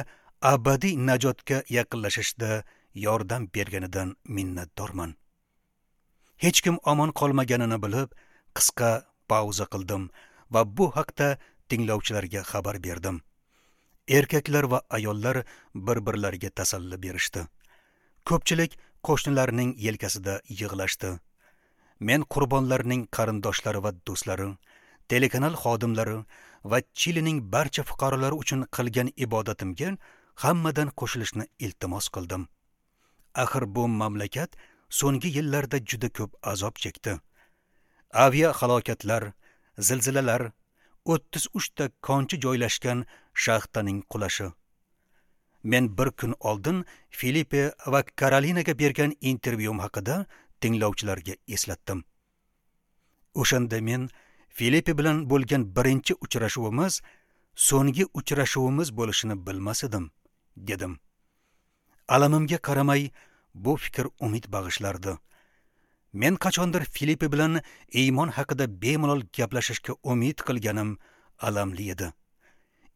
abadiy najotga yaqinlashishda yordam berganidan minnatdorman. Hech kim omon qolmaganini bilib, qisqa pauza qildim va bu haqda tinglovchilarga xabar berdim. Erkaklar va ayollar bir-birlariga tasalli berishdi. Ko'pchilik qo'shnilarning yelkasida yig'lashdi. Men qurbonlarning qarindoshlari va do'stlari, telekanal xodimlari va Chilining barcha fuqarolari uchun qilgan ibodatimga hammadan qo'shilishni iltimos qildim. Axir bu mamlakat so'nggi yillarda juda ko'p azob chekdi. Avia halokatlar, zilzilalar, o'ttiz uch ta konchi joylashgan shaxtaning qulashi. Men bir kun oldin Filippe va Karolinaga bergan intervyum haqida tinglovchilarga eslatdim. O'shanda men Filippe bilan bo'lgan birinchi uchrashuvimiz so'nggi uchrashuvimiz bo'lishini bilmas edim, dedim. Alamimga qaramay bu fikr umid bag'ishlardi. Men qachondir Filippe bilan iymon haqida bemalol gaplashishga umid qilganim alamli edi.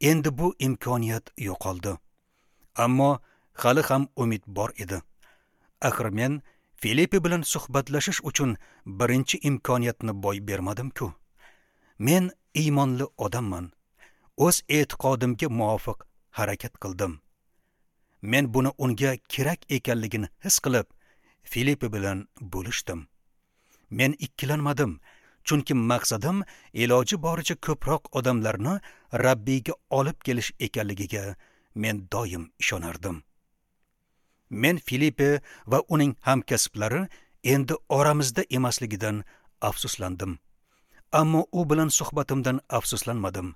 Endi bu imkoniyat yo'qoldi. Ammo hali ham umid bor edi. Axir men Filippe bilan suhbatlashish uchun birinchi imkoniyatni boy bermadim-ku. Men iymonli odamman. O'z e'tiqodimga muvofiq harakat qildim. Men buni unga kerak ekanligini his qilib, Filippe bilan bo'lishdim. Men ikkilanmadim, chunki maqsadim iloji boricha ko'proq odamlarni Rabbiyga olib kelish ekanligiga men doim ishonardim. Men Filippe va uning hamkasblari endi oramizda emasligidan afsuslandim. Ammo u bilan suhbatimdan afsuslanmadim.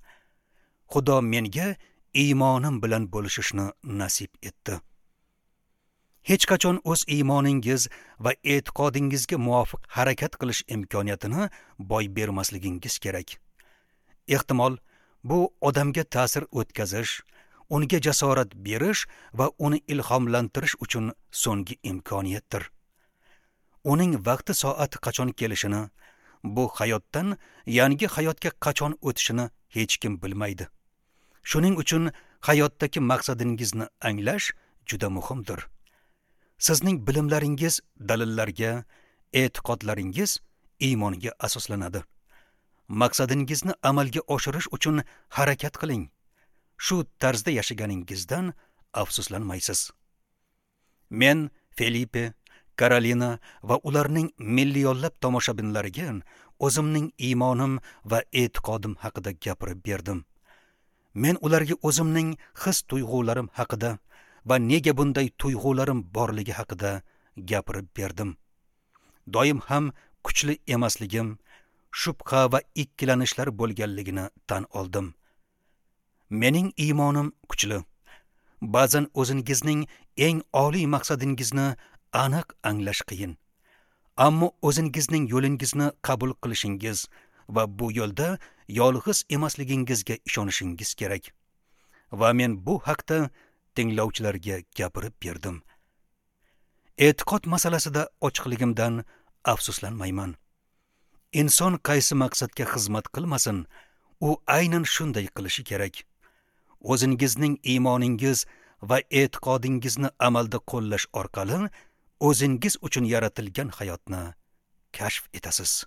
Xudo menga iymonim bilan bo'lishishni nasib etdi. Hech qachon o'z iymoningiz va e'tiqodingizga muvofiq harakat qilish imkoniyatini boy bermasligingiz kerak. Ehtimol, bu odamga ta'sir o'tkazish, unga jasorat berish va uni ilhomlantirish uchun so'nggi imkoniyatdir. Uning vaqti soati qachon kelishini, bu hayotdan yangi hayotga qachon o'tishini hech kim bilmaydi. Shuning uchun hayotdagi maqsadingizni anglash juda muhimdir. Sizning bilimlaringiz dalillarga, e'tiqodlaringiz iymonga asoslanadi. Maqsadingizni amalga oshirish uchun harakat qiling. Shu tarzda yashaganingizdan afsuslanmaysiz. Men Felipe, Karolina va ularning millionlab tomoshabinlariga o'zimning iymonim va e'tiqodim haqida gapirib berdim. Men ularga o'zimning his tuyg'ularim haqida va nega bunday tuyg'ularim borligi haqida gapirib berdim. Doim ham kuchli emasligim, shubha va ikkilanishlar bo'lganligini tan oldim. Mening iymonim kuchli. Ba'zan o'zingizning eng oliy maqsadingizni aniq anglash qiyin. Ammo o'zingizning yo'lingizni qabul qilishingiz va bu yo'lda yolg'iz emasligingizga ishonishingiz kerak. Va men bu haqda tinglovchilarga gapirib berdim. E'tiqod masalasida ochiqligimdan afsuslanmayman. Inson qaysi maqsadga xizmat qilmasin, u aynan shunday qilishi kerak. O'zingizning iymoningiz va e'tiqodingizni amalda qo'llash orqali o'zingiz uchun yaratilgan hayotni kashf etasiz.